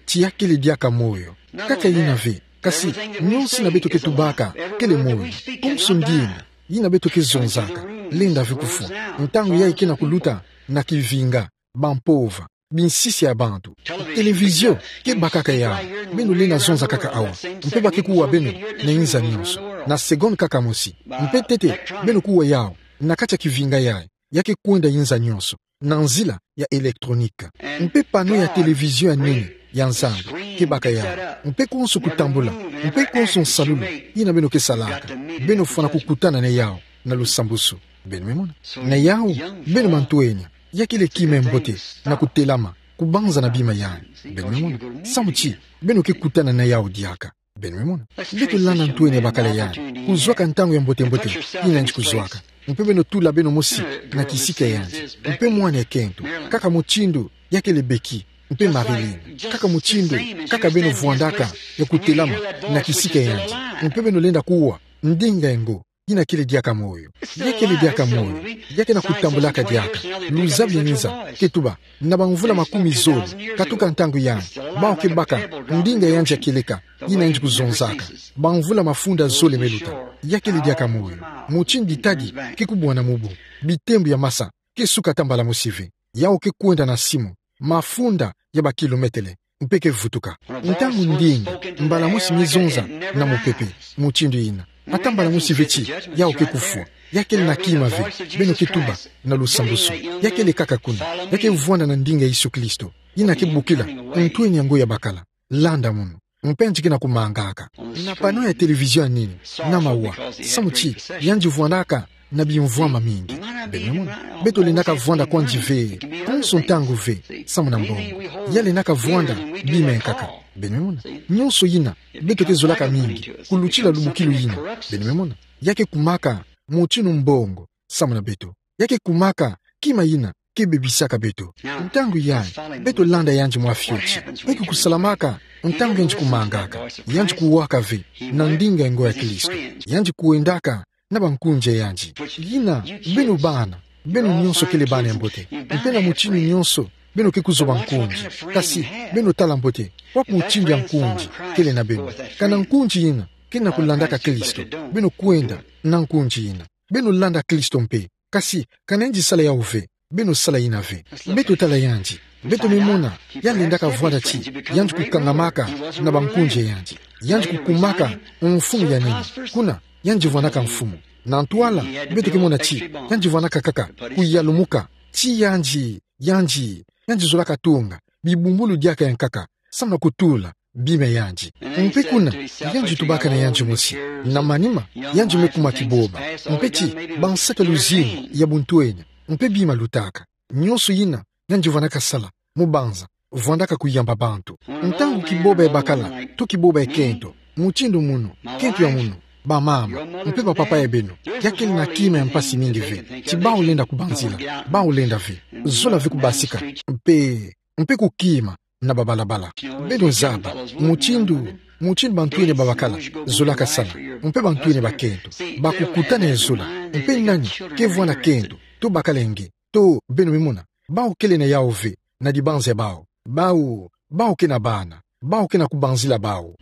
Ti ya kele diaka moyo. Kaka yina ve, kasi nyonso yina beto ke tubaka kele moyo. Konso ndinga yina beto ke zonzaka lenda ve kufwa. Ntangu yayi ke na kuluta na kivinga, bampova, binsisa ya bantu. Televizio ke bakaka yawu. Beno lenda zonza kaka awa. Mpe ba ke kuwa beno na inza nyonso, na seconde kaka mosi. Mpe ntete, beno kuwa yawu na kati ya kivinga yayi. Ya ke kwenda inza nyonso na nzila ya électronique. Mpe panneau ya televizio ya nene ya Nzambi ke baka yawu. Mpe konso kutambula, mpe konso nsalulu yina beno ke salaka, beno fwana kukutana na yawu na lusambusu. Beno me mona. Na yawu, beno mantwenya, ya kele kima ya mbote na kutelama, kubanza na bima yayi. Beno me mona. Samu ti beno ke kutana na yawu diaka. Beno me mona. Beto landa ntwenya ya bakala yayi, kuzwaka ntangu ya mbote-mbote yina yandi kuzwaka. Mpe beno tula beno mosi na kisika ya yandi. Mpe mwana ya kento, kaka mutindu ya kele Becky mpe Marilyn, kaka mutindu kaka beno vwandaka ya kutelama na kisika ya yandi. Mpe beno lenda kuwa ndinga engo, yina kele diaka moyo. Ya kele diaka moyo, ya ke na kutambulaka diaka. Luzabu ya inza ke tuba, na bamvula makumi zole katuka ntangu yayi, bawu ke baka ndinga ya yandi ya kieleka yina yandi kuzonzaka bamvula mafunda zole me luta. Ya kele diaka moyo. Mutindu ditadi ke kubwana mu bu, bitembo ya masa ke suka ata mbala mosi ve. Yawu ke kwenda na simu, mafunda ya bakilometele, mpe ke vutuka. Ntangu ndinga mbala mosi me zonza na mupepe mutindu yina, ata mbala mosi ve ti yawu ke kufwa. Ya kele na kima ve, beno ke tuba na lusambusu. Ya kele kaka kuna. Ya ke vwanda na ndinga ya Yesu Kristo, yina ke bokila ntwenya yango ya bakala. Landa munu. Mpe yandi ke na kumangaka na panneau ya televizio ya nene, na mawa, samu ti yandi vwandaka na bimvwama mingi. Beno me mona. Beto lendaka vwanda kwandi ve, konso ntangu ve, samu na mbongo. Ya lendaka vwanda bima ya nkaka. Beno me mona. Nyonso yina beto ke zolaka mingi, kulutila lubukilu yina. Beno me mona. Ya ke kumaka mutindu mbongo samu na beto. Ya ke kumaka kima yina ke bebisaka beto. Ntangu yayi, beto landa yandi mwa fioti. Mpe ke kusalamaka ntangu yandi kumangaka, yandi kuwaka ve na ndinga engo ya Kristo. Yandi kwendaka na bankunzi ya yandi. Yina, beno bana, beno nyonso kele bana ya mbote. Mpe na mutindu nyonso, beno ke kuzwa bankunzi. Kasi, beno tala mbote, wapi mutindu ya nkunzi kele na beno? Kana nkunzi yina ke na kulandaka Kristo, beno kwenda na nkunzi ina. Beno landa Kristo mpe. Kasi, kana yandi sala yawu ve, beno sala ina ve. Beto tala yandi. Beto me mona, ya lendaka vwanda ti yandi kukangamaka na bankunzi ya yandi. Yandi kukumaka mfumu ya nene. Kuna, yandi vwandaka mfumu. Na ntwala, beto ke mona ti yandi vwandaka kaka kuyalumuka. Ti yandi, yandi, yandi zolaka tunga bibumbulu diaka ya nkaka, samu na kutula bima ya yandi. Mpe kuna, yandi tubaka na yandi mosi. Na manima, yandi me kuma kiboba. Mpe ti, bansaka luzingu ya buntwenya. Mpe bima lutaka. Nyonso yina, yandi vwandaka sala, mu banza, vwandaka kuyamba bantu. Ntangu kiboba ya bakala, to kiboba ya kento, mutindu munu, kento ya munu, bamama, mpe bapapa ya beno, ya kele na kima ya mpasi mingi ve, ti bawu lenda kubanzila, bawu lenda ve, zola ve kubasika, mpe, mpe kukima, na babalabala. Beno zaba, mutindu, mutindu bantwenia ba bakala, zolaka sala, mpe bantwenia ba kento, bakukutana ye zola, mpe nani, ke vwanda kento, to bakala nge, to beno me mona, bawu kele na yawu ve, na dibanza ya bawu, bawu, bawu ke na bana, bawu ke na kubanzila bawu.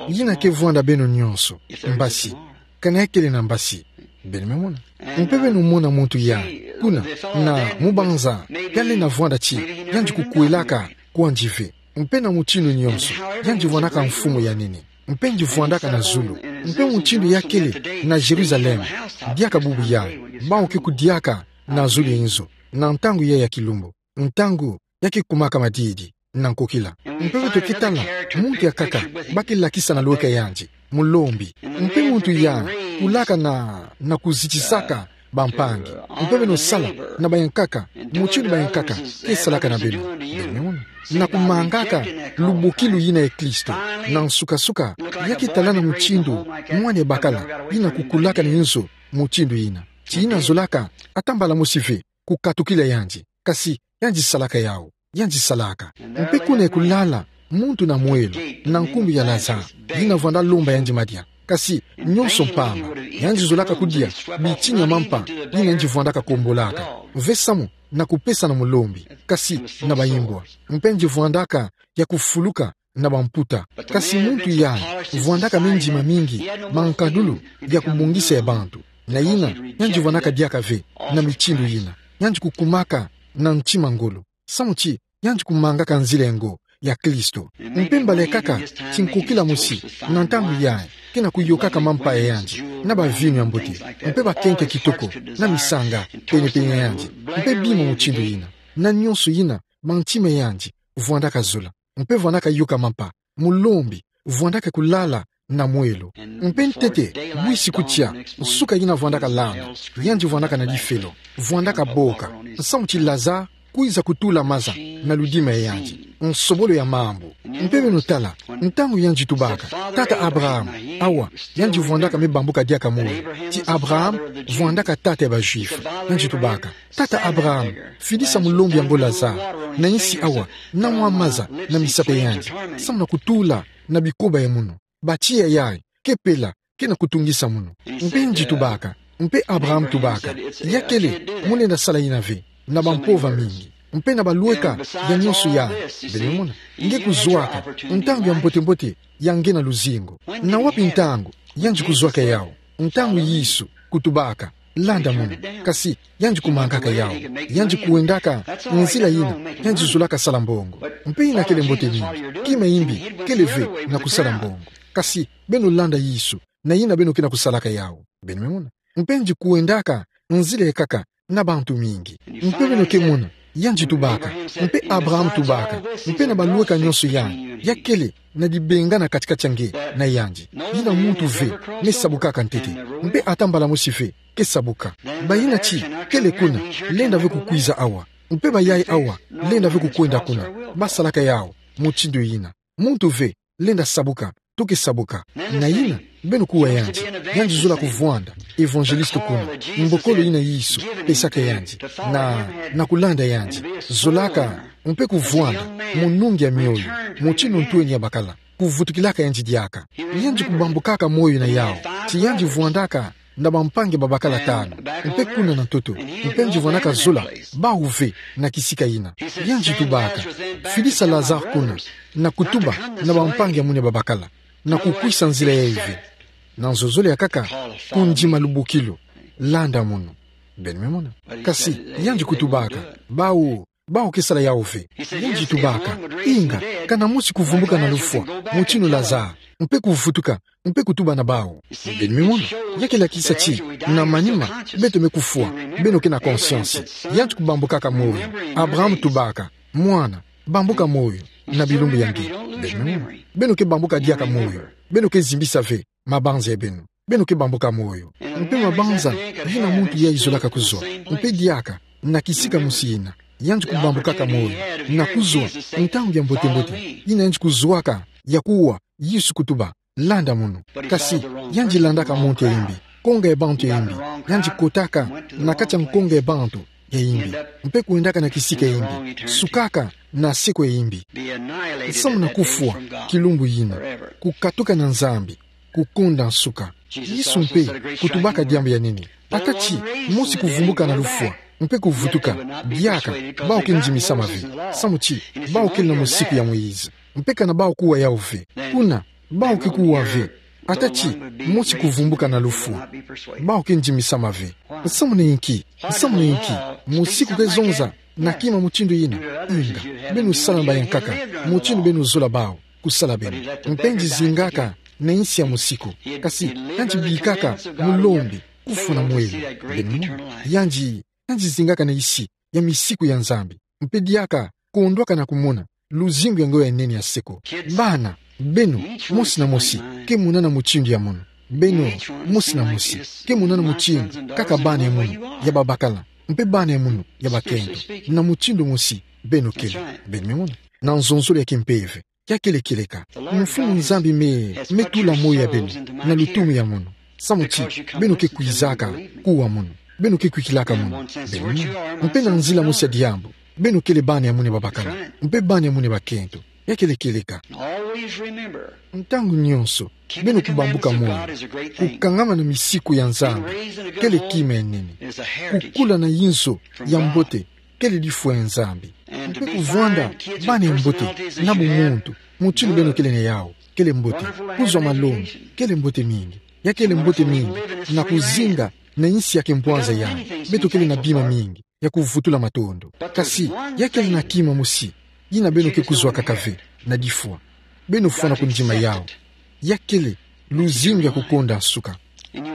Yina ke vwanda beno nyonso, mbasi, kana ya kele na mbasi, beno me mona. Mpe beno mona muntu ya, kuna, na mu banza, ya lenda vwanda ti yandi kukwelaka kwandi ve. Mpe na mutindu nyonso, yandi vwandaka mfumu ya nene. Mpe yandi vwandaka na zulu. Mpe mutindu ya kele na Yeruzalemi, diaka bubu yayi, bawu ke kudiaka na zulu ya inzo, na ntangu yayi ya kilumbu, ntangu ya ke kumaka madidi na nkokila. Mpe beto ke tala muntu ya nkaka ba ke lakisa na lweka yandi, mulombi. Mpe muntu ya kulaka na, na kuzitisaka bampangi. Mpe beno sala na bayankaka, mutindu bayankaka ke salaka na beno. Beno me mona. Na kumangaka lubokilu yina ya Kristo. Na nsuka-nsuka, ya ke talana mutindu mwana ya bakala yina kukulaka na inzo mutindu yina. Ti yina zolaka, ata mbala mosi ve, kukatukila yandi. Kasi, yandi salaka yawu. Yandi salaka. Mpe kuna ya kulala, muntu na mwelo, na nkumbu ya Lazare, yina vwanda lomba yandi madia. Kasi, nyonso mpamba, yandi zolaka kudia bitini ya mampa, yina yandi vwandaka kombolaka. Ve samu, na kupesa na mulombi. Kasi, na bayimbwa. Mpe yandi vwandaka ya kufuluka na bamputa. Kasi muntu yayi, vwandaka mindima mingi, mankadulu, ya kubongisa ya bantu. Na yina, yandi vwandaka diaka ve, na mitindu yina. Yandi kukumaka na ntima ngolo. Samu ti, yandi kumangaka nzila ya ngo, ya Kristo. Mpe mbala ya nkaka, ti nkokila mosi, na ntangu yayi, ke na kuyokaka mampa ya yandi, na bavinu ya mbote, mpe bakento kitoko, na misanga, pene-pene ya yandi, mpe bima mutindu yina. Na nyonso yina, mantima ya yandi, vwandaka zola. Mpe vwandaka yoka mampa, mulombi, vwandaka kulala, na mwelo. Mpe ntete, bwisi kutia, nsuka yina vwandaka landa, yandi vwandaka na difelo, vwandaka boka, nsamu ti Lazare, kwiza kutula maza, na ludima ya yandi, nsobolo ya mambu. Mpe beno tala, ntangu yandi tubaka, tata Abraham, awa, yandi vwandaka me bambuka diaka moyo, ti Abraham, vwandaka tata ya ba Juifs, yandi tubaka, tata Abraham, fidisa mulombi ya ngo Lazare, na insi awa, na mwa maza, na misapi ya yandi, samu na kutula, na bikoba ya munu. Batiya yayi, ke pela, ke na kutungisa munu. Mpe yandi tubaka, mpe Abraham tubaka, ya kele, mu lenda sala yina ve, na bampova mingi, mpe na balweka, ya nyonso yayi, beno mona, nge kuzwaka, ntangu ya mbote-mbote, ya nge na luzingu. Na wapi ntangu, yandi kuzwaka yawu, ntangu Yesu, kutubaka, landa munu, kasi, yandi kumangaka yawu, yandi kuendaka, nzila yina, yandi zolaka sala mbongo. Mpe yina kele mbote mingi, kima yimbi, kele ve, na kusala mbongo. Kasi, beno landa Yesu, na yina beno ke na kusalaka yawu. Beno me mona. Mpe yandi kuendaka, nzila ya nkaka, na bantu mingi. Mpe beno ke mona, yandi tubaka, mpe Abraham tubaka, mpe na balweka nyonso yayi, ya kele, na dibenga na kati-kati ya nge, na yandi. Yina muntu ve, me sabukaka ntete, mpe ata mbala mosi ve, ke sabuka. Bayina ti, kele kuna, lenda ve kukwiza awa. Mpe bayayi awa, lenda ve kukwenda kuna, basalaka yawu, mutindu yina. Muntu ve, lenda sabuka, to ke sabuka. Na yina, beno kuwa yandi, yandi zola kuvwanda, évangéliste kuna, mbokolo yina Yesu, pesaka yandi, na, na kulanda yandi, zolaka, mpe kuvwanda, munungi ya mioyo, mutindu ntweni ya bakala, kuvutukilaka yandi diaka. Yandi kubambukaka moyo na yawu, ti yandi vwandaka, na bampangi babakala tanu, mpe kuna na ntoto, mpe yandi vwandaka zola, bawu ve, na kisika yina. Yandi tubaka, fidisa Lazare kuna, na kutuba, na bampangi ya muna babakala, na kukwisa nzila yayi ve. Na nzozole ya nkaka, kundima lubukilu, landa munu. Beno me mona. Kasi, yandi kutubaka, bawu, bawu ke sala yawu ve. Yandi tubaka, inga, kana mosi kuvumbuka na lufwa, mutindu Lazare, mpe kuvutuka, mpe kutuba na bawu. Beno me mona. Ya ke lakisa ti, na manima, beto me kufwa, beno ke na conscience. Yandi kubambukaka moyo. Abraham tubaka, mwana, bambuka moyo, na bilumbu ya nge. Beno me mona. Beno ke bambuka diaka moyo. Beno ke zimbisa ve mabanza ya beno. Beno ke bambuka moyo. Mpe mabanza, yina muntu yayi zolaka kuzwa. Mpe diaka, na kisika mosi yina, yandi kubambukaka moyo, na kuzwa, ntangu ya mbote-mbote, yina yandi kuzwaka, ya kuwa, Yesu kutuba, landa munu. Kasi, yandi landaka muntu ya imbi, konga ya bantu ya imbi, yandi kotaka na kati ya nkonga ya bantu ya imbi, mpe kwendaka na kisika ya imbi, sukaka na seko ya imbi. Nsamu na kufwa, kilumbu yina, kukatuka na Nzambi, kukonda nsuka. Yesu mpe, kutubaka diambu ya nene. Ata ti, mosi kuvumbuka na lufwa, mpe kuvutuka, diaka, bawu ke ndimisama ve. Samu ti, bawu kele na musiku ya Moïse. Mpe kana bawu kuwa yawu ve. Kuna, bawu ke kuwa ve. Ata ti, mosi kuvumbuka na lufwa, bawu ke ndimisama ve. Nsamu na inki, nsamu na inki, musiku ke zonza, na kima mutindu yina, inga, beno sala mba ya nkaka, mutindu beno zola bawu, kusala beno. Mpe yandi zingaka, na insi ya musiku. Kasi, yandi bikaka, mulombi, kufwa na mwelo. Beno mona. Yandi, yandi zingaka na insi, ya misiku ya Nzambi. Mpe diaka, kondwaka na kumona, luzingu ya ngolo ya nene ya seko. Bana, beno, mosi na mosi, ke monana mutindu ya munu. Beno, mosi na mosi, ke monana mutindu, kaka bana ya munu, ya babakala, mpe bana ya munu, ya bakento. Na mutindu mosi, beno kele. Beno me mona. Na nzonzolo ya kimpeve. Ya kele kieleka. Mfumu Nzambi me, me tula moyo ya beno, na lutumu ya munu. Samu ti, beno ke kwizaka, kuwa munu. Beno ke kwikilaka munu. Beno mona. Mpe na nzila mosi ya diambu. Beno kele bana ya munu ya babakala. Mpe bana ya munu ya bakento. Ya kele kieleka. Ntangu nyonso, beno kubambuka moyo. Kukangama na misiku ya Nzambi. Kele kima ya nene. Kukula na inzo, ya mbote. Kele lifwa ya Nzambi. Mpe kuvwanda, bana ya mbote, na bumuntu, mutindu beno kele na yawu, kele mbote, kuzwa malongi, kele mbote mingi, ya kele mbote mingi, na kuzinga, na insi ya kimpwanza yandi, beto kele na bima mingi, ya kuvutula matondo. Kasi, ya kele na kima mosi, yina beno ke kuzwaka kaka ve, na lifwa. Beno fwana kundima yawu. Ya kele, luzingu ya kukonda nsuka.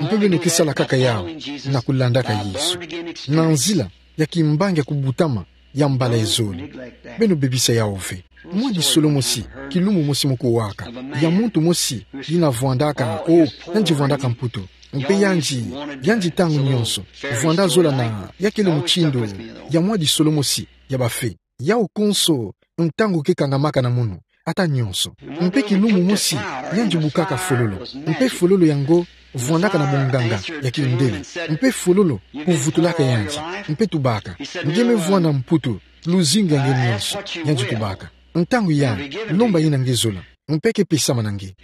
Mpe beno ke sala kaka yawu, na kulandaka Yesu. Na nzila, ya kimbangi ya kubutama, ya mbala ya zole. Beno bebisa yawu ve. Mwa disolo mosi, kilumbu mosi mu kuwaka. Ya muntu mosi, yina vwandaka, o, yandi vwandaka Mputu. Mpe yandi, yandi ntangu nyonso, vwanda zola na, ya kele mutindu, ya mwa disolo mosi, ya bafe. Yawu konso, ntangu ke kangamaka na munu, ata nyonso. Mpe kilumbu mosi, yandi bukaka fololo. Mpe fololo yango, vwandaka na bunganga, ya kindele. Mpe fololo, kuvutulaka yandi. Mpe tubaka. Nge me vwanda Mputu, luzingu ya nge nyonso, yandi tubaka. Ntangu yandi, lomba yina nge zola. Mpe ke pesama na nge.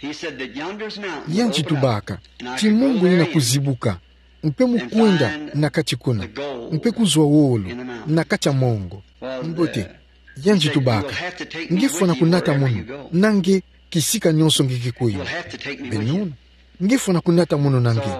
Yandi tubaka, ti mongo yina kuzibuka, mpe mu kwenda na kati kuna, mpe kuzwa wolo, na kati ya mongo. Mbote, yandi tubaka, nge fwana kunata munu, na nge, kisika nyonso nge ke kwenda. Beno mona, nge fwana kunata munu na nge.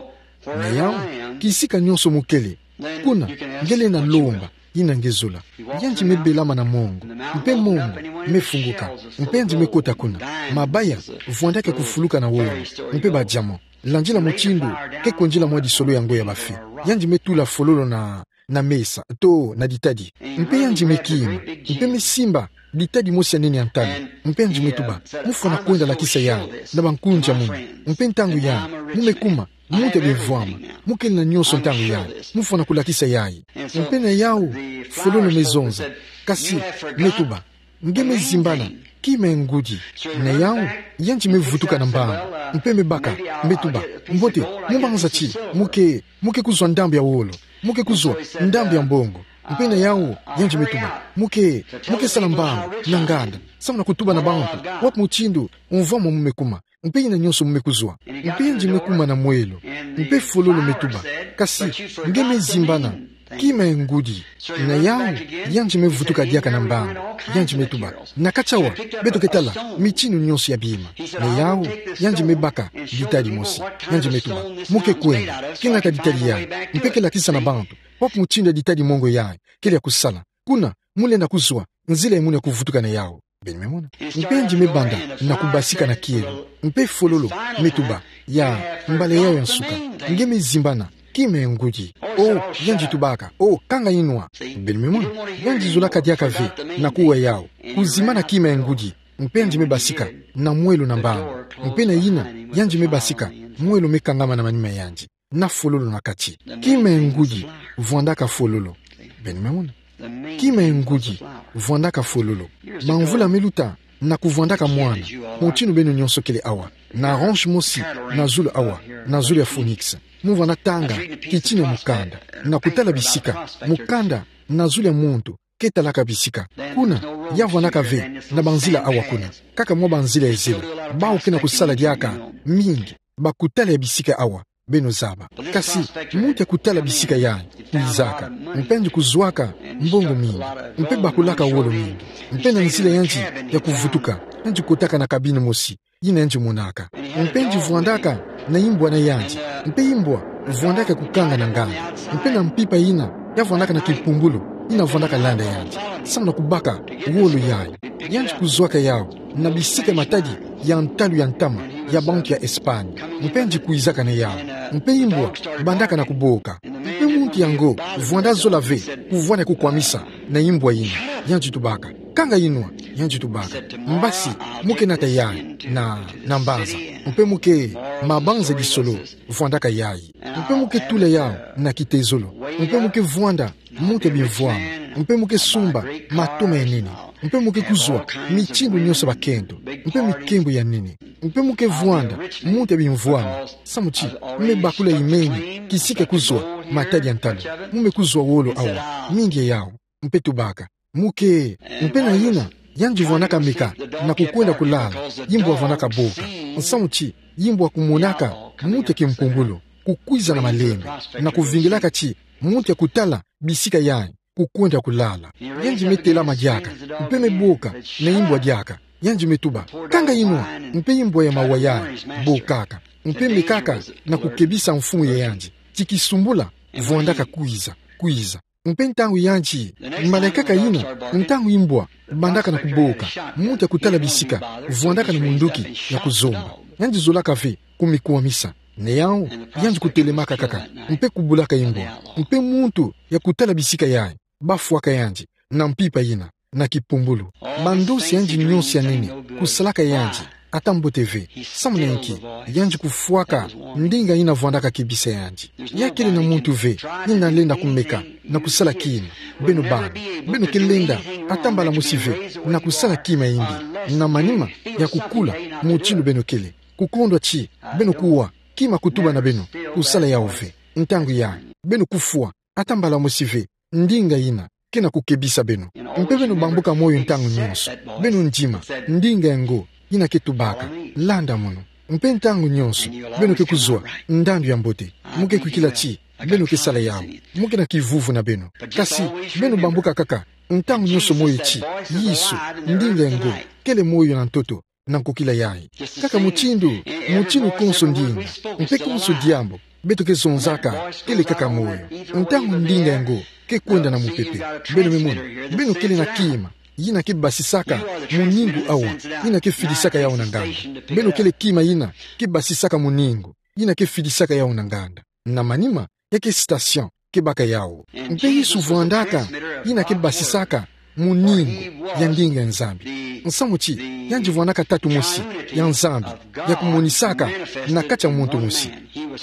Na yawu, kisika nyonso mu kele, kuna, nge lenda lomba, yina nge zola. Yandi me belama na mongo, mpe mongo, me funguka, mpe yandi me kota kuna. Mabaya, vwandaka kufuluka na wolo, mpe ba diamant. Landila mutindu, ke kondila mwa disolo yango ya bafe. Yandi me tula fololo na, na mesa, to, na ditadi. Mpe yandi me kima, mpe me simba, ditadi mosi ya nene ya ntalo. Mpe yandi me tuba, mu fwana kwenda lakisa yawu, na bankunzi ya munu. Mpe ntangu yandi, mu me kuma, muntu ya bimvwama, mu kele na nyonso ntangu yandi, mu fwana kulakisa yayi. Mpe na yawu, fololo me zonza, kasi, me tuba, nge me zimbana, kima ya ngudi. Na yawu, yandi me vutuka na mbangu, mpe me baka, me tuba, mbote, mu banza ti, mu ke, mu ke kuzwa ndambu ya wolo, mu ke kuzwa ndambu ya mbongo. Mpe na yawu, yandi me tuba, mu ke, mu ke sala mbangu, na nganda, samu na kutuba na bantu, wapi mutindu, mvwama mu me kuma. Mpe yina nyonso mu me kuzwa. Mpe yandi me kuma na mwelo. Mpe fololo me tuba. Kasi, nge me zimbana. Kima ya ngudi. Na yau, yandi me vutuka diaka na mbandu. Yandi me tuba: Na kati awa, beto ke tala mitinu nyonso ya bima. Na yau, yandi me baka ditadi mosi. Yandi me tuba: Mu ke kwenda, kengaka ditadi yayi, mpe ke lakisa na bantu kwa mutindu ya ditadi mongo yayi kele ya kusala. Kuna, mu lenda kuzwa nzila ya munu ya kuvutuka na yau. Beno me mona. Mpe yandi me banda na kubasika na kielo. Mpe fololo me tuba: Ya, mbala yayi ya nsuka, nge me zimbana, kima ya ngudi. Oh, yandi tubaka: Oh, kanga inwa. Beno me mona. Yandi zolaka diaka ve na kuwa yau, kuzimbana kima ya ngudi. Mpe yandi me basika na mwelo na mbandu. Mpe na yina, yandi me basika, mwelo me kangama na manima ya yandi, na fololo na kati. Kima ya ngudi vwandaka fololo. Beno me mona. Kima ya ngudi vwandaka fololo. Bamvula me luta, na kuvwandaka mwana, mutindu beno nyonso kele awa, na ranch mosi na zulu awa, na zulu ya Phoenix. Mu vanda tanga kitini ya mukanda, na kutala bisika, mukanda na zulu ya muntu ke talaka bisika. Kuna, ya vwandaka ve na banzila awa kuna, kaka mwa banzila ya zelo. Bawu ke na kusala diaka mingi bakutala ya bisika awa, beno zaba. Kasi muntu ya kutala bisika yayi kwizaka, mpe yandi kuzwaka mbongo mingi, mpe bakulaka wolo mingi, mpe na nzila yandi ya kuvutuka, yandi kotaka na cabine mosi yina yandi monaka. Mpe yandi vwandaka na imbwa na yandi, mpe imbwa vwandaka kukanga na nganda, mpe na mpimpa yina ya vwandaka na kimpumbulu yina vwandaka landa yandi, samu na kubaka wolo yayi. Yandi kuzwaka yau na bisika ya matadi ya ntalu ya ntama ya bantu ya Espagne, mpe yandi kwizaka na yau, mpe imbwa bandaka na kuboka. Mpe muntu yango vwanda zola ve kuvwanda kukwamisa na imbwa yina. Yandi tubaka: Kanga inwa. Yandi tubaka: Mbasi, mu ke nata yayi na, na mbanza. Mpe mu ke mabanza disolo vwandaka yayi. Mpe mu ke tula yau na kitezolo. Mpe mu ke vwanda muntu ya bimvwama. Mpe mu ke sumba matoma ya nene. Mpe mu ke kuzwa mitindu nyonso ya bakento, mpe mikembo ya nene. Mpe mu ke vwanda muntu ya bimvwama, samu ti mu me bakula imeni kisika kuzwa matadi ya ntalu. Mu me kuzwa wolo awa, mingi ya yau. Mpe tubaka: Mu ke. Mpe na yina, yandi vwandaka meka na kukwenda kulala, imbwa vwandaka boka, nsamu ti imbwa kumonaka muntu ya kimpumbulu kukwiza na malembe, na kuvingilaka ti muntu ya kutala bisika yayi kukwenda kulala. Yandi me telama diaka, mpe me boka na imbwa diaka. Yandi me tuba: Kanga inwa. Mpe imbwa ya mawa yayi bokaka, mpe mekaka na kukebisa mfumu ya yandi ti kisumbula vwandaka kwiza, kwiza. Mpe ntangu yandi, mbala kaka yina, ntangu imbwa bandaka na kuboka, muntu ya kutala bisika vwandaka na munduki ya kuzomba. Yandi zolaka ve kumikwamisa. Na yau, yandi kutelemaka kaka, mpe kubulaka imbwa. Mpe muntu ya kutala bisika yayi bafwaka yandi na mpimpa yina, na kipumbulu. Mandosi yandi nyonso ya nene kusalaka yandi ata mbote ve. Samu na inki? Yandi kufwaka ndinga yina vwandaka kebisa yandi. Ya kele na muntu ve yina lenda kumeka na kusala kima. Beno bana, beno ke lenda ata mbala mosi ve na kusala kima ya imbi, na manima ya kukula mutindu beno kele, kukondwa ti beno kuwa kima kutuba na beno kusala yau ve. Ntangu yayi, beno kufwa ata mbala mosi ve ndinga yina ke na kukebisa beno. Mpe beno bambuka moyo ntangu nyonso. Beno ndima ndinga yango yina ke tubaka: Landa mono. Mpe ntangu nyonso beno ke kuzwa ndandu ya mbote. Mu ke kwikila ti beno ke sala yau. Mu ke na kivuvu na beno. Kasi beno bambuka kaka ntangu nyonso moyo ti: Yesu, ndinga yango, kele moyo na ntoto na nkokila yayi. Kaka mutindu, mutindu konso ndinga, mpe konso diambu beto ke zonzaka kele kaka moyo. Ntangu ndinga yango ke kwenda na mupepe, beno me mona, beno kele na kima yina ke basisaka muningu awa, yina ke fidisaka yau na nganda. Beno kele kima yina ke basisaka muningu yina ke fidisaka yau na nganda. Na manima, ya ke station ke baka yau. Mpe Yesu vwandaka yina ke basisaka muningu ya ndinga ya Nzambi. Nsamu ti yandi vwandaka tatu mosi ya Nzambi ya kumonisaka na kati ya muntu mosi.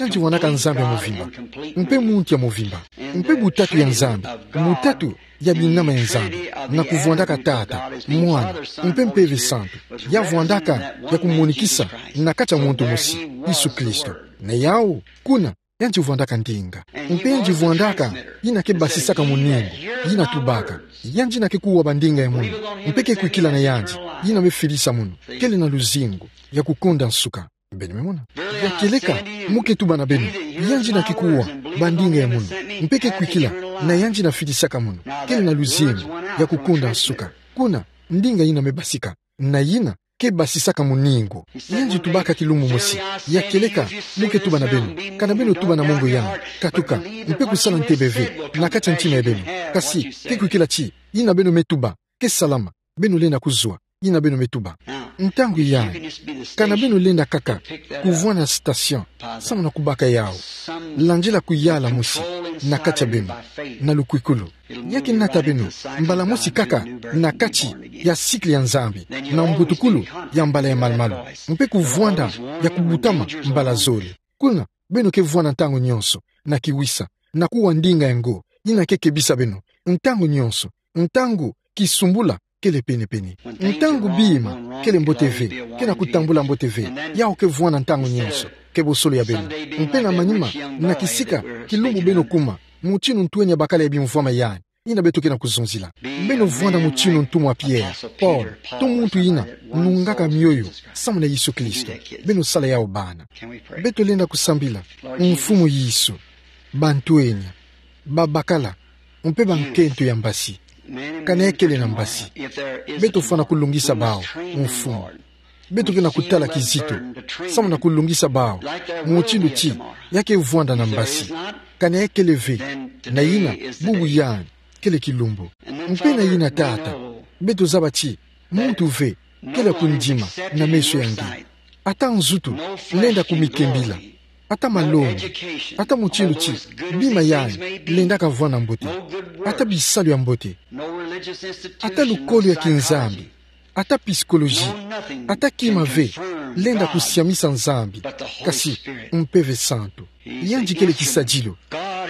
Yandi vwandaka Nzambi ya movimba mpe muntu ya movimba. Mpe butatu ya Nzambi, butatu ya binama ya Nzambi, na kuvwandaka Tata, Mwana, mpe Mpeve Santu, ya vwandaka ya kumonikisa na kati ya muntu mosi, Yesu Kristo. Na yau, kuna, yandi vwandaka ndinga. Mpe yandi vwandaka yina ke basisaka muningu, yina tubaka: Yandi yina ke kuwa bandinga ya munu, mpe ke kwikila na yandi, yina me fidisa munu, kele na luzingu ya kukonda nsuka. Beno me mona. Ya kieleka, mu ke tuba na beno, yandi yina ke kuwa bandinga ya munu, mpe ke kwikila Na yandi na fitisaka mono, kele na luzingu ya kukunda nsuka. Kuna, ndinga ina me basika. Na ina ke basisaka moningu. Yandi tubaka kilumbu mosi, ya kieleka mo ke tuba na beno, kana beno tuba na mongo ya, katuka, mpe kusala ntebe ve na kati ya ntima ya beno. Kasi ke kwikila ti ina beno me tuba ke salama, beno lenda kuzwa ina beno me tuba. Ntangu yayi, kana beno lenda kaka kuvwanda station, samu na kubaka yawu, landila kuyala mosi na kati ya beno, na lukwikulu. Ya ke nata beno mbala mosi kaka na kati ya cycle ya Nzambi, na mbutukulu ya mbala ya malumalu, mpe kuvwanda ya kubutama mbala zole. Kuna, beno ke vwanda ntangu nyonso na kiwisa, na kuwa ndinga ya ngo ina ke kebisa beno ntangu nyonso, ntangu kisumbula kele penepene. Ntangu bima kele mbote ve, ke na kutambula mbote ve, yawu ke vwanda ntangu nyonso kebosolo ya beno. Mpe na manima, na kisika, kilumbu beno kuma, mutinu ntweni ya bakala ya bimvwama yayi ina beto ke na kuzonzila. Beno vwanda mutinu ntumwa Pierre, Paul, to muntu ina nungaka mioyo samu na Yesu Kristo. Beno sala yawu bana. Beto lenda kusambila. Mfumu Yesu, bantweni, babakala, mpe bankento ya mbasi. Kana ya kele na mbasi, beto fwana kulungisa bawu, Mfumu. Beto ke na kutala kizito samu na kulungisa bawu, mutindu ti ya ke vwanda na mbasi. Kana ya kele ve, na ina, bubu yayi kele kilumbu. Mpe na ina, Tata, beto zaba ti muntu ve kele kundima na meso ya nge. Ata nzutu lenda kumikembila. Ata malongi, ata mutindu ti bima yayi lenda kavwanda mbote. Ata bisalu ya mbote, ata lukolo ya kinzambi, ata psychologie, ata kima ve lenda kusiamisa Nzambi, kasi Mpeve Santu. Yandi kele kisadilu.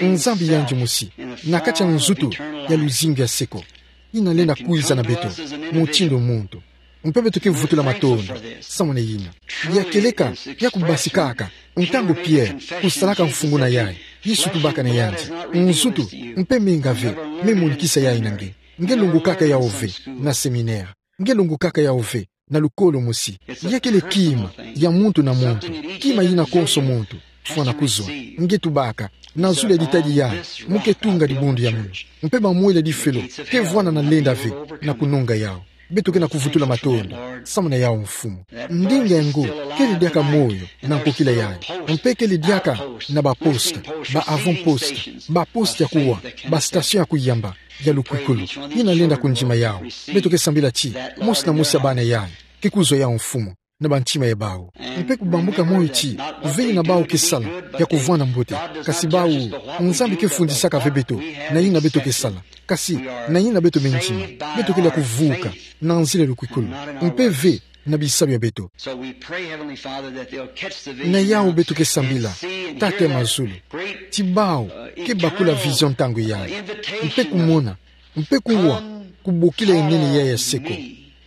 Nzambi yandi mosi, na kati ya nzutu ya luzingu ya seko, ina lenda kwiza na beto mutindu muntu. Mpe beto ke vutula matondo samu na ina. Ya kieleka ya kubasikaka ntangu Pierre kusalaka mfunguna yayi, Yesu tubaka na yandi: Nzutu mpe menga ve me monikisa yayi na nge. Nge longokaka yawu ve na séminaire. Nge longokaka yawu ve na lukolo mosi. Ya kele kima ya muntu na muntu, kima ina konso muntu fwana kuzwa. Nge tubaka, na zulu ya ditadi yayi, mo ke tunga dibundu ya munu. Mpe bamwela difelo ke vwanda na lenda ve na kunonga yawu. Beto ke na kuvutula matondo samu na yawu, Mfumu. Ndinga ya ngo kele diaka moyo na nkokila yayi. Mpe kele diaka na ba poste, ba avant-poste, ba poste ya kuwa, ba station ya kuyamba ya lukwikulu, ina lenda kundima yawu. Beto ke sambila ti mosi na mosi ya bana yayi ke kuzwa yawu, Mfumu, na bantima ya bawu. Mpe kubambuka moyo ti ve ina bawu ke sala ya kuvwanda mbote, kasi bawu, Nzambi ke fundisaka ve beto na ina beto ke sala, kasi na ina beto me ndima. Beto kele ya kuvuka na nzila ya lukwikulu, mpe ve na bisalu ya beto. Na yawu beto ke sambila, Tata ya mazulu, ti bawu ke bakula vision ntangu yayi, mpe kumona, mpe kuwa kubokila ya nene yayi ya seko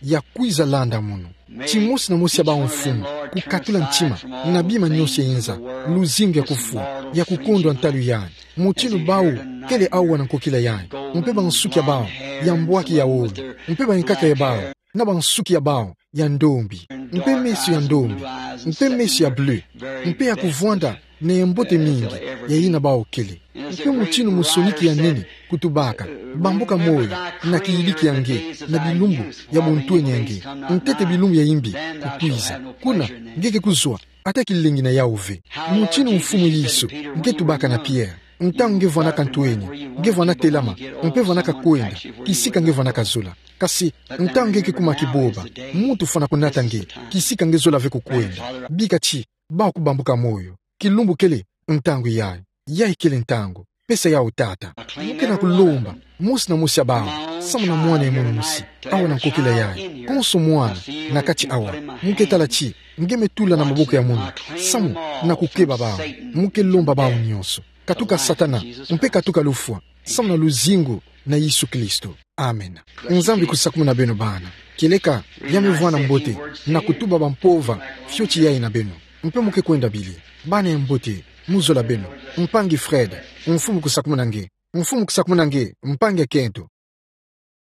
ya kwiza landa munu. Ti mosi na mosi ya bawu, Mfumu, kukatula ntima na bima nyonso ya inza, luzingu ya kufwa, ya kukondwa ntalu yayi, mutindu bawu kele awa na nkokila yayi, mpe bansuki ya bawu ya mbwaki ya wolo, mpe bankaka ya bawu na bansuki ya bawu ya ndombi, mpe meso ya ndombi, mpe meso ya bleu, mpe ya kuvwanda na ya mbote mingi ya ina bawu kele. Mpe mutindu musoniki ya nene kutubaka: bambuka moyo na kiyidiki ya nge, na bilumbu ya buntweni ya nge, ntete bilumbu ya imbi kukwiza. Kuna nge ke kuzwa, ata kilengi na yawu ve. Mutindu, Mfumu Yesu, nge tubaka na Pierre, ntangu nge vwanaka ntweni, nge vwanaka telama, mpe vwanaka kwenda kisika nge vwanaka zola. Kasi ntangu nge ke kuma kiboba, muntu fwana kunata nge kisika nge zola ve kukwenda. Bika ti bawu kubambuka moyo. Kilumbu kele ntangu yayi. Yayi kele ntangu. Pesa yawu, Tata. Mo ke na kulomba mosi na mosi ya bawu, samu na mwana ya munu mosi, awa na nkokila yayi, konso mwana na kati awa. Mo ke tala ti nge me tula na maboko ya munu samu na kukeba bawu. Mo ke lomba bawu nyonso: katuka Satana, mpe katuka lufwa, samu na luzingu na Yesu Kristo. Amen. Nzambi kusakumuna beno bana. Kieleka ya me vwanda mbote na kutuba bampova fioti yayi na beno. Mpe mo ke kwenda bili. Bana ya mbote, mo zola beno. Mpangi Fred, Mfumu kusakumuna nge. Mfumu kusakumuna nge, mpangi Kento.